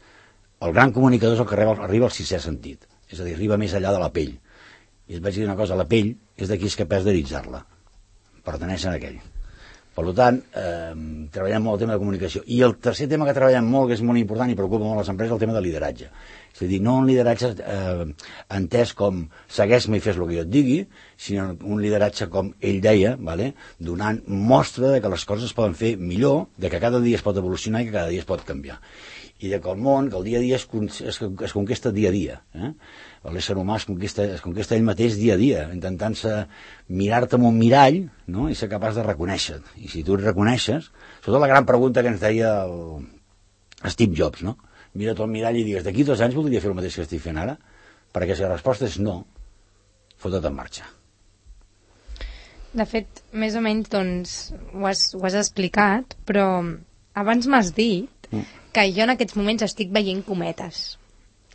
El gran comunicador és el que arriba al 6è sentit, és a dir, arriba més allà de la pell. I et vaig dir una cosa, la pell és d'aquí és capaç d'eritzar-la, pertaneix a aquell. Per tant, treballem molt el tema de comunicació. I el tercer tema que treballem molt, que és molt important i preocupa molt les empreses, és el tema de lideratge. És a dir, no un lideratge entès com segueix-me i fes el que jo et digui, sinó un lideratge com ell deia, ¿vale? Donant mostra de que les coses es poden fer millor, de que cada dia es pot evolucionar i que cada dia es pot canviar. I que el món, que el dia a dia es conquesta dia a dia. L'ésser humà es conquesta ell mateix dia a dia, intentant-se mirar-te en un mirall, no? I ser capaç de reconèixer. I si tu et reconeixes, sobretot la gran pregunta que ens deia Steve Jobs, no? Mira't al mirall i digues, d'aquí 2 anys voldria fer el mateix que estic fent ara? Perquè si la resposta és no, fot-te't en marxa. De fet, més o menys, doncs, ho has explicat, però abans m'has dit que jo en aquests moments estic veient cometes.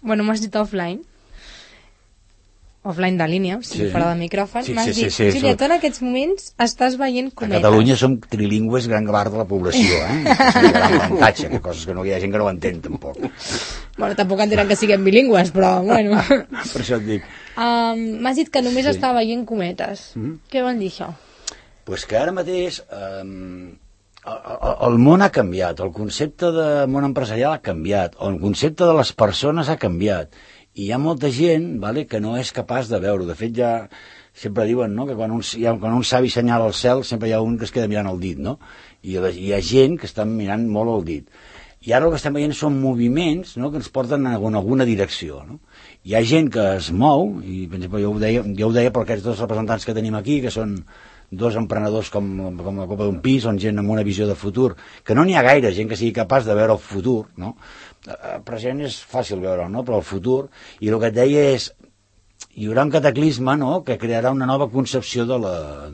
Bueno, m'has dit offline de línia, o sigui, fora del micròfon. M'has dit, Júlia, tu en aquests moments estàs veient cometes. A Catalunya som trilingües gran part de la població, és un gran avantatge, coses que no hi ha gent que no ho entén, tampoc. Bueno, tampoc entenen que siguem bilingües, però, bueno. Per això et dic. M'has dit que només està veient cometes. Què vol dir això? Pues que ara mateix el món ha canviat, el concepte de món empresarial ha canviat, el concepte de les persones ha canviat, i hi ha molta gent, vale, que no és capaç de veure. De fet, ja sempre diuen, no?, que quan un savi senyala al cel sempre hi ha un que es queda mirant el dit, no? I hi ha gent que està mirant molt el dit. I ara el que estem veient són moviments, no?, que ens porten en alguna direcció, no? Hi ha gent que es mou, i per exemple, jo ho deia per aquests 2 representants que tenim aquí, que són 2 emprenedors com la copa d'un pis, són gent amb una visió de futur, que no n'hi ha gaire gent que sigui capaç de veure el futur, no? El present és fàcil veure'l, no?, però el futur, i el que et deia és, hi haurà un cataclisme, no?, que crearà una nova concepció de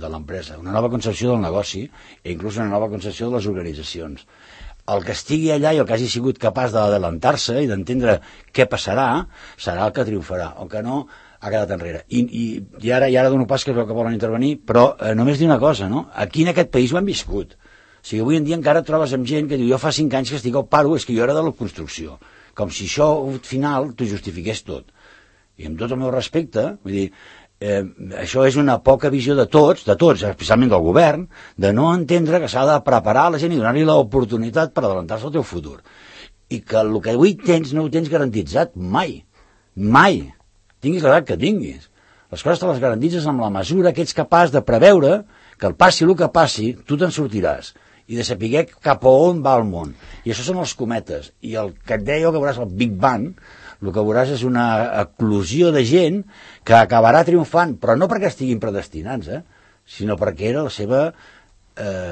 l'empresa, una nova concepció del negoci, i inclús una nova concepció de les organitzacions. El que estigui allà i el que hagi sigut capaç d'adelantar-se i d'entendre què passarà, serà el que triomfarà, el que no ha quedat enrere. I ara dono pas que es veu que volen intervenir, però només dir una cosa, no? Aquí en aquest país ho hem viscut. O sigui, avui en dia encara et trobes amb gent que diu, jo fa 5 anys que estic al paro, és que jo era de la construcció. Com si això, al final, t'ho justifiqués tot. I amb tot el meu respecte, vull dir, això és una poca visió de tots, especialment del govern, de no entendre que s'ha de preparar la gent i donar-li l'oportunitat per adelantar-se al teu futur. I que el que avui tens no ho tens garantitzat mai. Mai. Tinguis l'edat que tinguis. Les coses te les garantitzes amb la mesura que ets capaç de preveure que el passi el que passi, tu te'n sortiràs i de saber cap a on va el món. I això són els cometes. I el que et deia que veuràs el Big Bang, el que veuràs és una eclosió de gent que acabarà triomfant, però no perquè estiguin predestinats, sinó perquè era la seva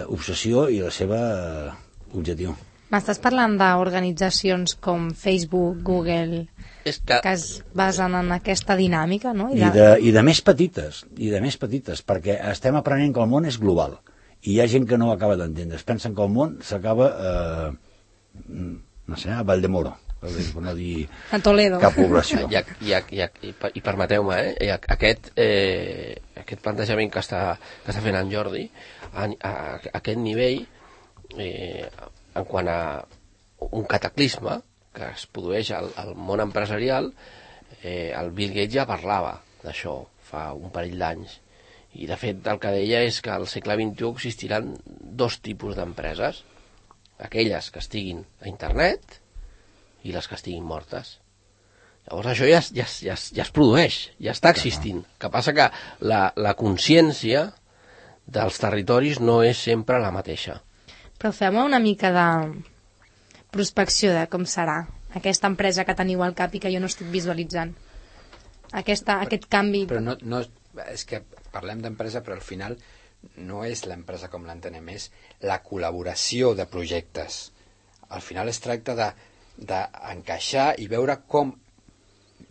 obsessió i la seva objectiu. M'estàs parlant d'organitzacions com Facebook, Google, que es basen en aquesta dinàmica, no? I de més petites, perquè estem aprenent que el món és global, i hi ha gent que no ho acaba d'entendre. Es pensen que el món s'acaba, no sé, a Valldemoros, per no dir a Toledo, cap població. I permeteu-me, aquest plantejament que està fent en Jordi, a aquest nivell, en quant a un cataclisme que es produeix al món empresarial, el Bill Gates ja parlava d'això fa un parell d'anys, i de fet el que deia és que al segle XXI existiran 2 tipus d'empreses, aquelles que estiguin a internet i les que estiguin mortes. Llavors això ja es produeix, ja està existint. El que passa que la consciència dels territoris no és sempre la mateixa. Però fem una mica de prospecció de com serà aquesta empresa que teniu al cap i que jo no estic visualitzant. Aquest canvi... Però no, és que parlem d'empresa, però al final no és l'empresa com l'entenem, és la col·laboració de projectes. Al final es tracta d'encaixar i veure com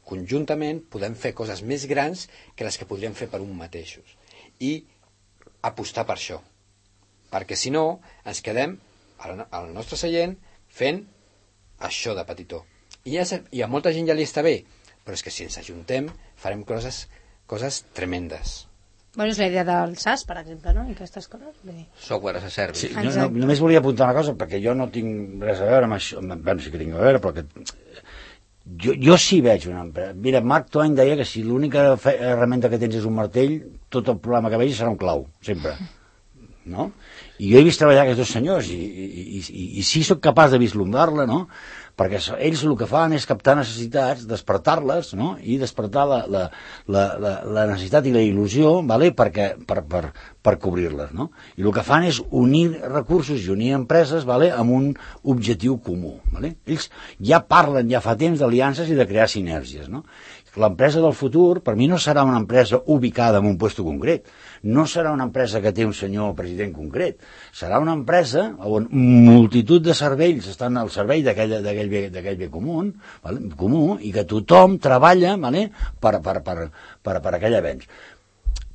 conjuntament podem fer coses més grans que les que podríem fer per un mateixos. I apostar per això. Perquè si no, ens quedem al nostre seient fent això de petitó. I a molta gent ja li està bé, però és que si ens ajuntem farem coses tremendes. Bueno, és la idea del SAS, per exemple, no? I aquestes coses. Software as a service. Sí, només volia apuntar una cosa, perquè jo no tinc res a veure amb això. Bueno, sí que tinc a veure, però que... Jo sí veig una empresa. Mira, Mark Twain deia que si l'única herramienta que tens és un martell, tot el problema que vegis serà un clau, sempre. No? I jo he vist treballar aquests dos senyors i sí soc capaç de vislumbrar-la, no? Perquè ells el que fan és captar necessitats, despertar-les, no? I despertar la necessitat i la il·lusió, vale? per cobrir-les, no? I el que fan és unir recursos i unir empreses, vale? Amb un objectiu comú, vale? Ells ja parlen ja fa temps d'aliances i de crear sinergies, no? L'empresa del futur, per mi, no serà una empresa ubicada en un lloc concret, no serà una empresa que té un senyor president concret, serà una empresa on multitud de cervells estan al servei d'aquell bé comú, vale? Comú, i que tothom treballa, vale? per aquell avenç.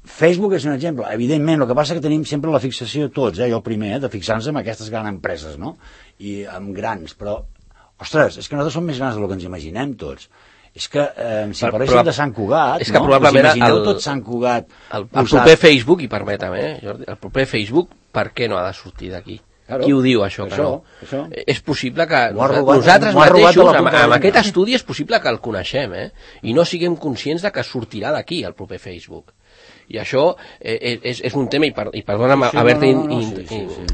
Facebook és un exemple. Evidentment, el que passa és que tenim sempre la fixació tots, jo el primer, de fixar-nos en aquestes grans empreses, no? I amb grans, però, ostres, és que nosaltres som més grans del que ens imaginem tots. És que si parléssim de Sant Cugat, és que probablement us imagineu tot Sant Cugat el proper Facebook, i permetem, Jordi, el proper Facebook, per què no ha de sortir d'aquí? Claro, qui ho diu, això? Això. És possible que nosaltres mateixos, amb aquest estudi, és possible que el coneixem, i no siguem conscients de que sortirà d'aquí el proper Facebook. I això és un tema, i perdona'm haver-te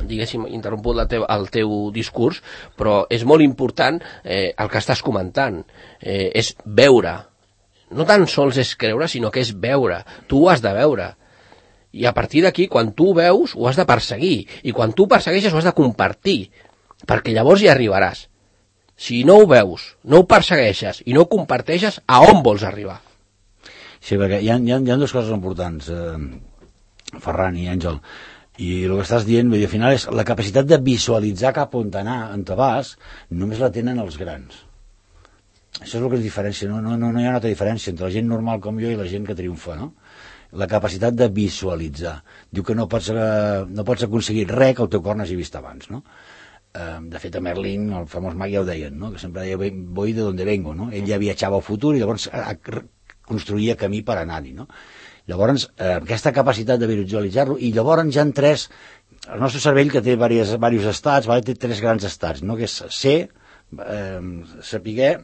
diguéssim interromput el teu discurs, però és molt important el que estàs comentant, és veure, no tan sols és creure, sinó que és veure, tu ho has de veure, i a partir d'aquí, quan tu ho veus, ho has de perseguir, i quan tu ho persegueixes ho has de compartir, perquè llavors hi arribaràs. Si no ho veus, no ho persegueixes i no ho comparteixes, a on vols arribar? Sí, perquè hi ha dues coses importants, Ferran i Àngel, i el que estàs dient, al final, és la capacitat de visualitzar cap on anar, on te vas, només la tenen els grans. Això és el que ens diferencia, no hi ha una altra diferència entre la gent normal com jo i la gent que triomfa, no? La capacitat de visualitzar. Diu que no pots aconseguir res que el teu cor n'hagi vist abans, no? De fet, a Merlin, el famós mag, ja ho deien, no? Que sempre deia, voy de donde vengo, no? Ell ja viatjava al futur i llavors construïa camí per anar-hi, no? Llavors, aquesta capacitat de visualitzar-lo, i llavors ja han tres, el nostre cervell, que té diversos estats, vale? Té tres grans estats, no? Que és ser, sapiguer,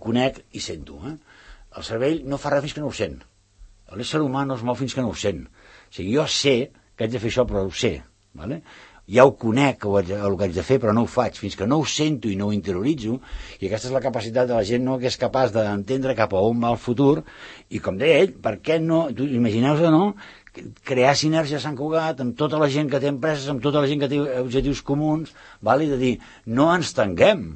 conec i sento. El cervell no fa res fins que no ho sent. L'ésser humà no es mou fins que no ho sent. O sigui, jo sé que haig de fer això, però ho sé, vale? Ja ho conec el que haig de fer, però no ho faig fins que no ho sento i no ho interioritzo, i aquesta és la capacitat de la gent, no?, que és capaç d'entendre cap a on va el futur, i com deia ell, per què no, imagineu-vos, no?, crear sinergia a Sant Cugat amb tota la gent que té empreses, amb tota la gent que té objectius comuns, val? I de dir, no ens tanquem,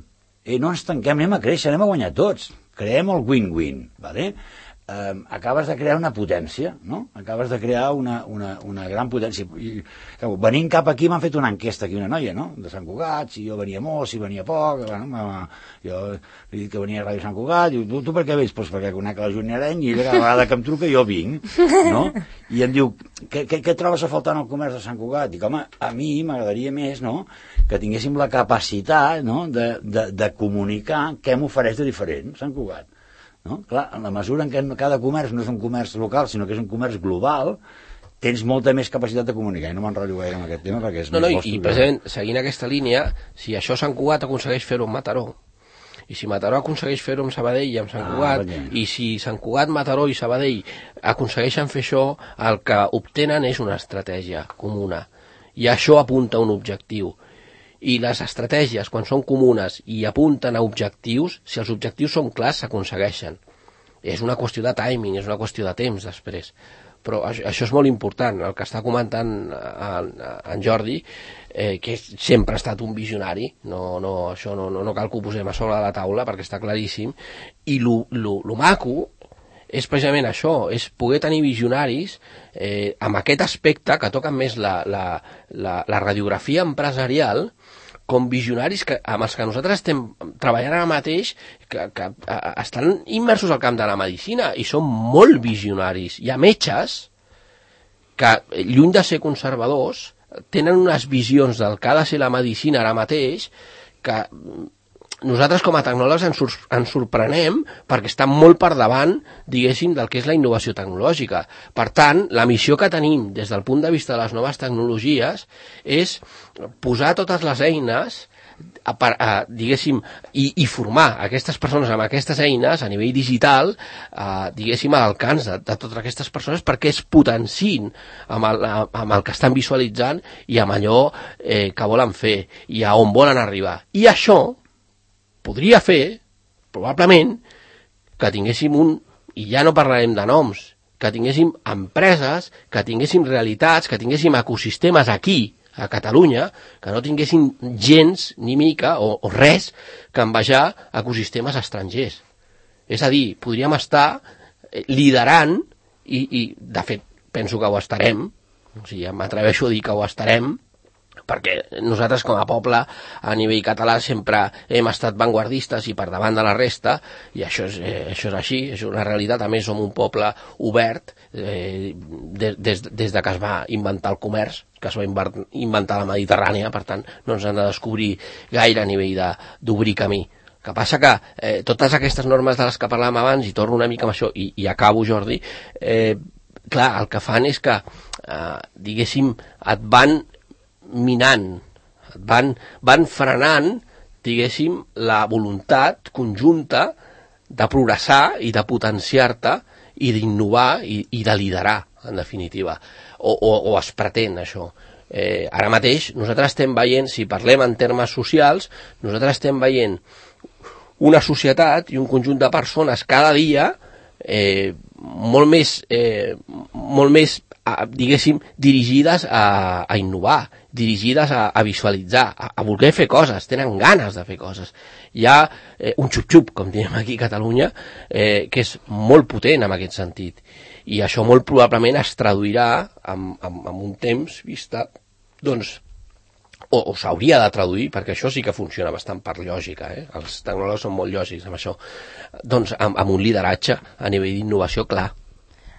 anem a créixer, anem a guanyar tots, creem el win-win, vale? Acabes de crear una potència, no? Acabes de crear una gran potència. I, venint cap aquí m'han fet una enquesta aquí, una noia, no?, de Sant Cugat, si jo venia molt, si venia poc, bueno, jo he dit que venia a Ràdio Sant Cugat, i tu per què vens? Pues perquè conec la Júnia Areny i cada vegada que em truca jo vinc, no? I em diu, què trobes a faltar en el comerç de Sant Cugat? Dic, home, a mi m'agradaria més, no?, que tinguéssim la capacitat, no?, de comunicar què m'ofereix de diferent Sant Cugat. No? Clar, en la mesura en què cada comerç no és un comerç local, sinó que és un comerç global, tens molta més capacitat de comunicar, i no m'enrotllo gaire amb aquest tema perquè és i precisament, seguint aquesta línia, si això Sant Cugat aconsegueix fer-ho amb Mataró, i si Mataró aconsegueix fer-ho amb Sabadell i amb Sant Cugat, i si Sant Cugat, Mataró i Sabadell aconsegueixen fer això, el que obtenen és una estratègia comuna, i això apunta a un objectiu. i les estratègies, quan són comunes i apunten a objectius, si els objectius són clars, s'aconsegueixen. És una qüestió de timing, és una qüestió de temps després. Però això és molt important, el que està comentant en Jordi, que sempre ha estat un visionari, això no cal que ho posem a sobre de la taula perquè està claríssim, i lo maco és precisament això, és poder tenir visionaris amb aquest aspecte que toquen més la radiografia empresarial, com visionaris amb els que nosaltres estem treballant ara mateix, que estan immersos al camp de la medicina i són molt visionaris. Hi ha metges que, lluny de ser conservadors, tenen unes visions del que ha de ser la medicina ara mateix que nosaltres com a tecnòlegs ens sorprenem perquè estan molt per davant, diguéssim, del que és la innovació tecnològica. Per tant, la missió que tenim des del punt de vista de les noves tecnologies és posar totes les eines diguéssim, i formar aquestes persones amb aquestes eines a nivell digital, diguéssim, a l'alcance de totes aquestes persones perquè es potenciïn amb el que estan visualitzant i amb allò que volen fer i a on volen arribar. I això podria fer, probablement, que tinguéssim i ja no parlarem de noms, que tinguéssim empreses, que tinguéssim realitats, que tinguéssim ecosistemes aquí, a Catalunya, que no tinguessin gens ni mica o res que envejar ecosistemes estrangers. És a dir, podríem estar liderant, i de fet penso que ho estarem, o sigui, m'atreveixo a dir que ho estarem, perquè nosaltres com a poble a nivell català sempre hem estat vanguardistes i per davant de la resta, i això és així, és una realitat. A més, som un poble obert des de que es va inventar el comerç, que es va inventar la Mediterrània, per tant no ens han de descobrir gaire a nivell d'obrir camí. El que passa que totes aquestes normes de les que parlàvem abans, i torno una mica amb això, i acabo, Jordi, clar, el que fan és que, diguéssim, et van minant, van frenant, diguéssim, la voluntat conjunta de progressar i de potenciar-te i d'innovar i de liderar, en definitiva, o es pretén això. Ara mateix nosaltres estem veient, si parlem en termes socials, nosaltres estem veient una societat i un conjunt de persones cada dia molt més diguéssim, dirigides a innovar, dirigides a visualitzar, a voler fer coses, tenen ganes de fer coses. Hi ha un xup-xup, com diem aquí a Catalunya, que és molt potent en aquest sentit. I això molt probablement es traduirà en un temps vista, doncs, o s'hauria de traduir, perquè això sí que funciona bastant per lògica, els tecnòlegs són molt lògics amb això, doncs amb un lideratge a nivell d'innovació clar.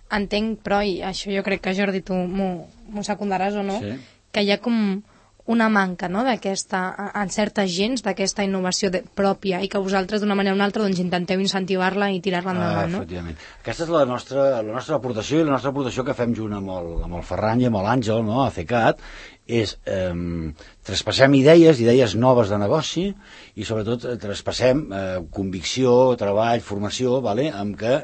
Entenc, però, i això jo crec que, Jordi, tu m'ho secundaràs o no, sí, que hi ha com una manca, no?, d'aquesta, en certes gens, d'aquesta innovació pròpia, i que vosaltres, d'una manera o una altra, doncs intenteu incentivar-la i tirar-la endavant, no? Efectivament. Aquesta és la nostra aportació, i la nostra aportació que fem junt amb el Ferran i amb l'Àngel, no?, a CECAT, és traspassem idees noves de negoci, i sobretot traspassem convicció, treball, formació, amb què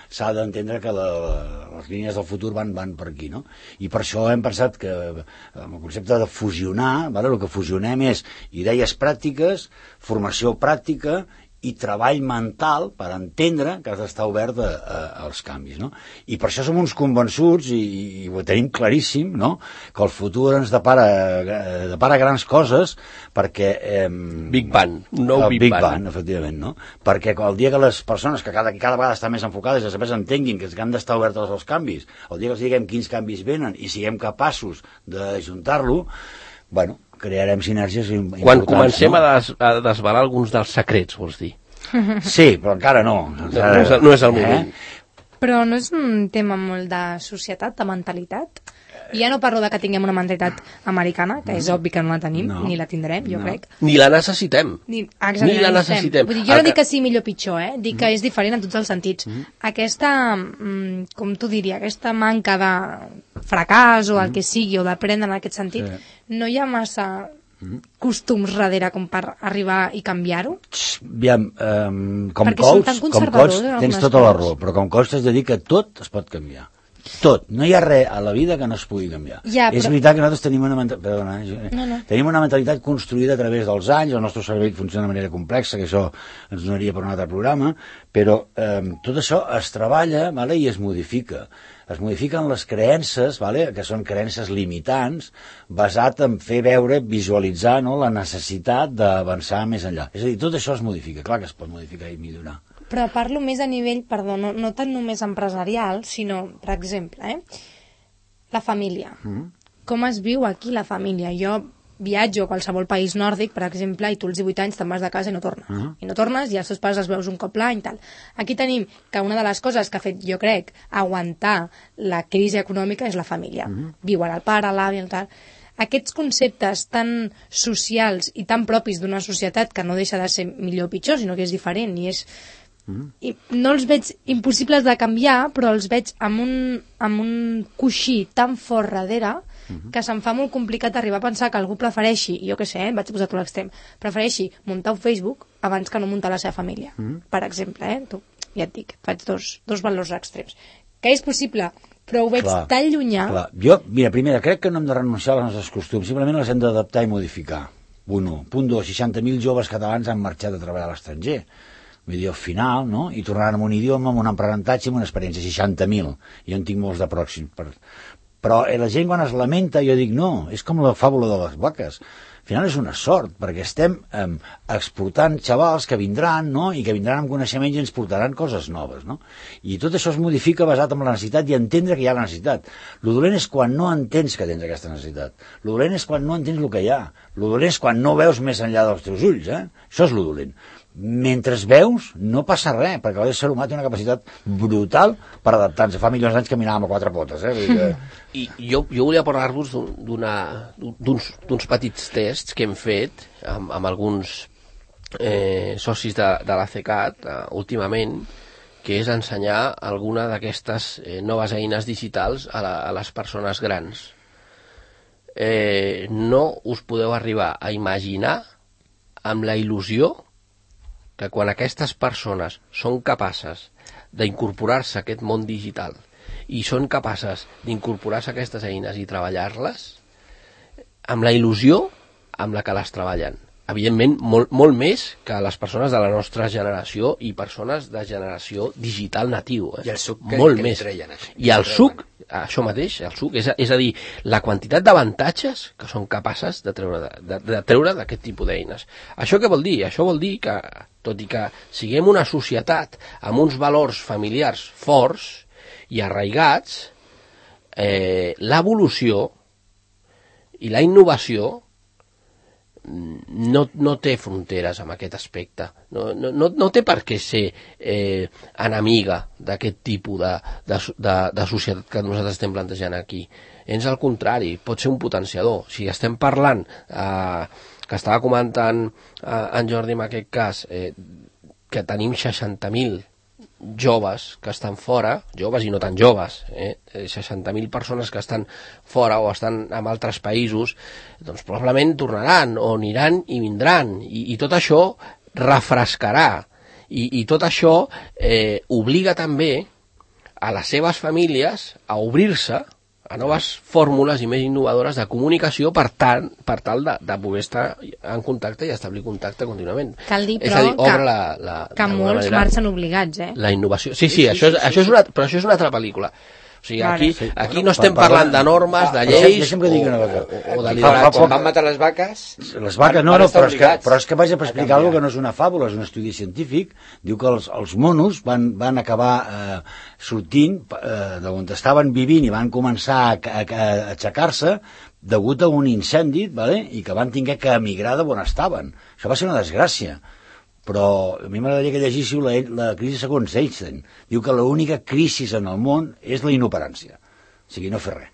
s'ha d'entendre que les línies del futur van per aquí, no? I per això hem pensat que amb el concepte de fusionar, el que fusionem és idees pràctiques, formació pràctica i treball mental per entendre que has d'estar obert als canvis, no? I per això som uns convençuts, i ho tenim claríssim, no?, que el futur ens depara grans coses, perquè... Big Bang, un nou Big Bang. Efectivament, no? Perquè el dia que les persones, que cada vegada estan més enfocades, després entenguin que han d'estar obertes als canvis, el dia que els diguem quins canvis venen i siguem capaços d'ajuntar-lo, bueno, crearem sinergies importants. Quan comencem a desvelar alguns dels secrets, vols dir? Sí, però encara no. No és el moment. Però no és un tema molt de societat, de mentalitat? I ja no parlo de que tinguem una mentalitat americana, que és obvi que no la tenim, ni la tindrem, jo crec. Ni la necessitem. Ni la necessitem. Vull dir, jo no dic que sigui millor o pitjor, dic que és diferent en tots els sentits. Aquesta, com tu diria, aquesta manca de fracàs o el que sigui, o d'aprendre en aquest sentit, no hi ha massa costums darrere com per arribar i canviar-ho? Aviam, com coach tens tota la raó, però com coach t'has de dir que tot es pot canviar. Tot. No hi ha res a la vida que no es pugui canviar. Ja, És veritat que nosaltres tenim una tenim una mentalitat construïda a través dels anys, el nostre cervell funciona de manera complexa, que això ens donaria per un altre programa, però tot això es treballa, vale, i es modifica. Es modifiquen les creences, vale, que són creences limitants, basat en fer veure, visualitzar, no, la necessitat d'avançar més enllà. És a dir, tot això es modifica, clar que es pot modificar i millorar. Però parlo més a nivell, perdó, no tant només empresarial, sinó, per exemple, la família. Com es viu aquí la família? Jo viatjo a qualsevol país nòrdic, per exemple, i tu als 18 anys te'n vas de casa i no tornes. I no tornes i els teus pares els veus un cop l'any i tal. Aquí tenim que una de les coses que ha fet, jo crec, aguantar la crisi econòmica és la família. Viuen el pare, l'avi, el tal. Aquests conceptes tan socials i tan propis d'una societat que no deixa de ser millor o pitjor, sinó que és diferent i és... I no els veig impossibles de canviar, però els veig amb un coixí tan fort darrere que se'm fa molt complicat arribar a pensar que algú prefereixi, jo què sé, vaig posar tot l'extrem, prefereixi muntar un Facebook abans que no muntar la seva família, per exemple, tu, ja et dic, faig dos valors extrems. Que és possible, però ho veig tan llunyà... Clar. Jo, mira, primera, crec que no hem de renunciar als nostres costums, simplement les hem d'adaptar i modificar. Punt 1. Punt 2, 60.000 joves catalans han marxat a treballar a l'estranger. Vull dir, al final, no? I tornaran amb un idioma, amb un aprenentatge, amb una experiència, 60.000. Jo en tinc molts de pròxims. Però la gent quan es lamenta, jo dic, no, és com la fàbula de les vaques. Al final és una sort, perquè estem exportant xavals que vindran, no? I que vindran amb coneixements i ens portaran coses noves, no? I tot això es modifica basat en la necessitat i entendre que hi ha la necessitat. Lo dolent és quan no entens que tens aquesta necessitat. Lo dolent és quan no entens el que hi ha. Lo dolent és quan no veus més enllà dels teus ulls, Això és lo dolent. Mentre veus, no passa res, perquè l'ésser humà té una capacitat brutal per adaptar-se. Fa milions d'anys caminàvem a quatre potes, I jo volia parlar-vos d'uns petits tests que hem fet amb alguns socis de l'ACCAT últimament, que és ensenyar alguna d'aquestes noves eines digitals a les persones grans. No us podeu arribar a imaginar amb la il·lusió que quan aquestes persones són capaces d'incorporar-se a aquest món digital i són capaces d'incorporar-se a aquestes eines i treballar-les, amb la il·lusió amb la que les treballen. Evidentment, molt més que les persones de la nostra generació i persones de generació digital natiu. I el suc que li treien. I el suc, això mateix, el suc, és a dir, la quantitat d'avantatges que són capaces de treure d'aquest tipus d'eines. Això què vol dir? Això vol dir que, tot i que siguem una societat amb uns valors familiars forts i arraigats, l'evolució i la innovació no té fronteres amb aquest aspecte. No té per què ser enemiga d'aquest tipus de societat que nosaltres estem plantejant aquí. És al contrari, pot ser un potenciador. Si estem parlant, que estava comentant en Jordi en aquest cas, que tenim 60.000 joves que estan fora, joves i no tan joves, 60.000 persones que estan fora o estan en altres països, doncs probablement tornaran o aniran i vindran, i tot això refrescarà, i tot això obliga també a les seves famílies a obrir-se a noves fórmules i més innovadores de comunicació per tal de poder estar en contacte i establir contacte contínuament. Cal dir, però, que molts marxen obligats, La innovació. Sí, això és una altra pel·lícula. O sigui, aquí no estem parlant de normes, de lleis o de lideratge. Quan van matar les vaques... Les vaques no, però és que vaig a explicar alguna que no és una fàbula, és un estudi científic. Diu que els monos van acabar sortint d'on estaven vivint i van començar a aixecar-se degut a un incendi, i que van haver que emigrar d'on estaven. Això va ser una desgràcia. Però a mi m'agradaria que llegíssiu la crisi segons Einstein. Diu que l'única crisi en el món és la inoperància. O sigui, no fer res.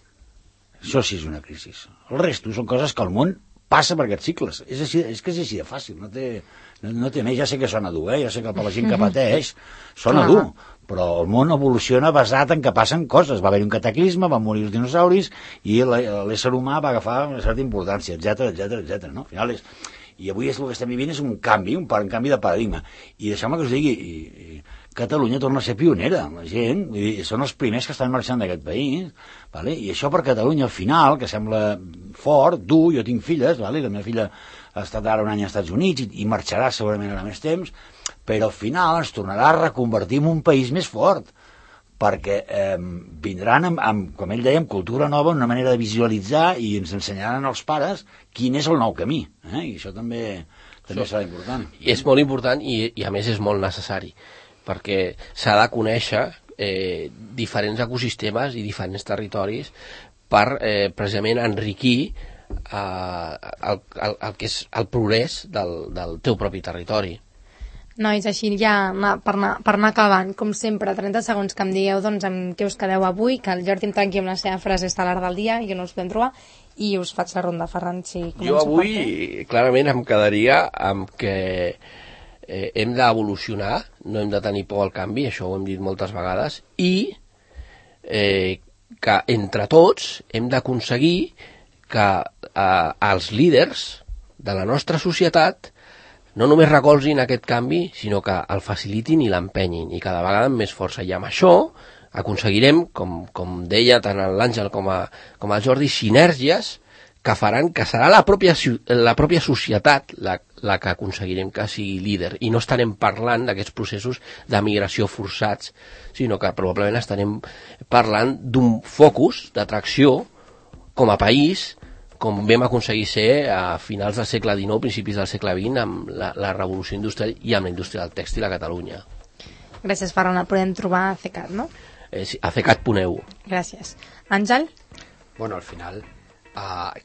Això sí és una crisi. El resto són coses que el món passa per aquests cicles. És que és així de fàcil. No té més. Ja sé que sona dur, ja sé que per la gent que pateix sona dur. Però el món evoluciona basat en que passen coses. Va haver un cataclisme, van morir els dinosauris i l'ésser humà va agafar una certa importància, etc. No? Al final I avui el que estem vivint és un canvi de paradigma. I deixeu-me que us digui, Catalunya torna a ser pionera, la gent, vull dir, són els primers que estan marxant d'aquest país, vale? I això per Catalunya al final, que sembla fort, dur, jo tinc filles, vale? La meva filla ha estat ara un any als Estats Units i marxarà segurament ara més temps, però al final ens tornarà a reconvertir en un país més fort, perquè vindran, com ell deia, amb cultura nova, una manera de visualitzar i ens ensenyaran als pares quin és el nou camí, i això també serà important. I és molt important i a més és molt necessari, perquè s'ha de conèixer diferents ecosistemes i diferents territoris per precisament enriquir el que és el progrés del teu propi territori. Nois, així ja per anar acabant, com sempre, 30 segons que em digueu doncs, amb què us quedeu avui, que el Jordi em tanqui amb la seva frase estel·lar del dia, i que no us podem trobar, i us faig la ronda, Ferran, si començo. Jo avui, clarament, em quedaria amb que hem d'evolucionar, no hem de tenir por al canvi, això ho hem dit moltes vegades, i que entre tots hem d'aconseguir que els líders de la nostra societat no només recolzin aquest canvi, sinó que el facilitin i l'empenyin, i cada vegada amb més força. I amb això aconseguirem, com deia tant l'Àngel com el Jordi, sinergies que faran que serà la pròpia societat la que aconseguirem que sigui líder, i no estarem parlant d'aquests processos de migració forçats, sinó que probablement estarem parlant d'un focus d'atracció com a país, com vam aconseguir ser a finals del segle XIX, principis del segle XX, amb la revolució industrial i amb la indústria del tèxtil a Catalunya. Gràcies, Ferran. El podem trobar a CECAT, no? Sí, a cecat.eu. Gràcies. Àngel? Bueno, al final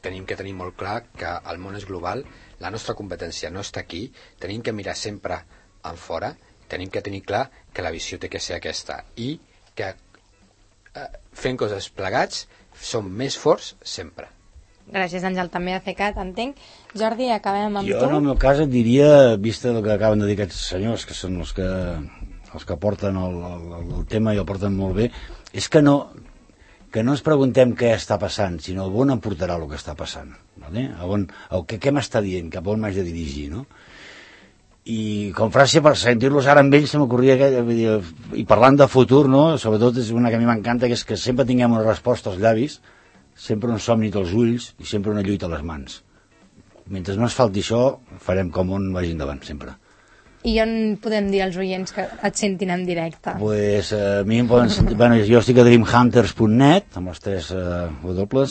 tenim que tenir molt clar que el món és global, la nostra competència no està aquí, tenim que mirar sempre en fora, tenim que tenir clar que la visió té que ser aquesta, i que fent coses plegats som més forts sempre. Gràcies, Àngel, també a CECAT, entenc. Jordi, acabem amb tu. Jo, en el meu cas, et diria, vista el que acaben de dir aquests senyors, que són els que porten el tema i el porten molt bé, és que no ens preguntem què està passant, sinó on em portarà el que està passant. Vale? Què m'està dient, cap on m'haig de dirigir, no? I com frase, per sentir-los ara amb ells, se m'ocorria, i parlant de futur, no? Sobretot és una que a mi m'encanta, que és que sempre tinguem una resposta als llavis, sempre un somni als ulls i sempre una lluita a les mans. Mentre no ens falti això, farem com on vagi endavant, sempre. I on podem dir als oients que et sentin en directe? Pues a mi em poden sentir... Bueno, jo estic a dreamhunters.net, amb les 3 W,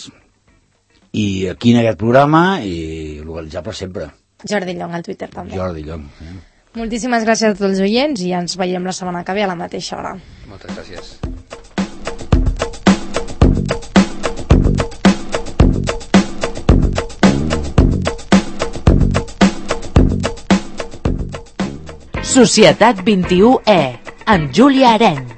i aquí en aquest programa, i localitzable sempre. Jordi Llong, al Twitter també. Jordi Llong. Moltíssimes gràcies a tots els oients i ens veiem la setmana que ve a la mateixa hora. Moltes gràcies. Societat 21E, amb Júlia Arenys.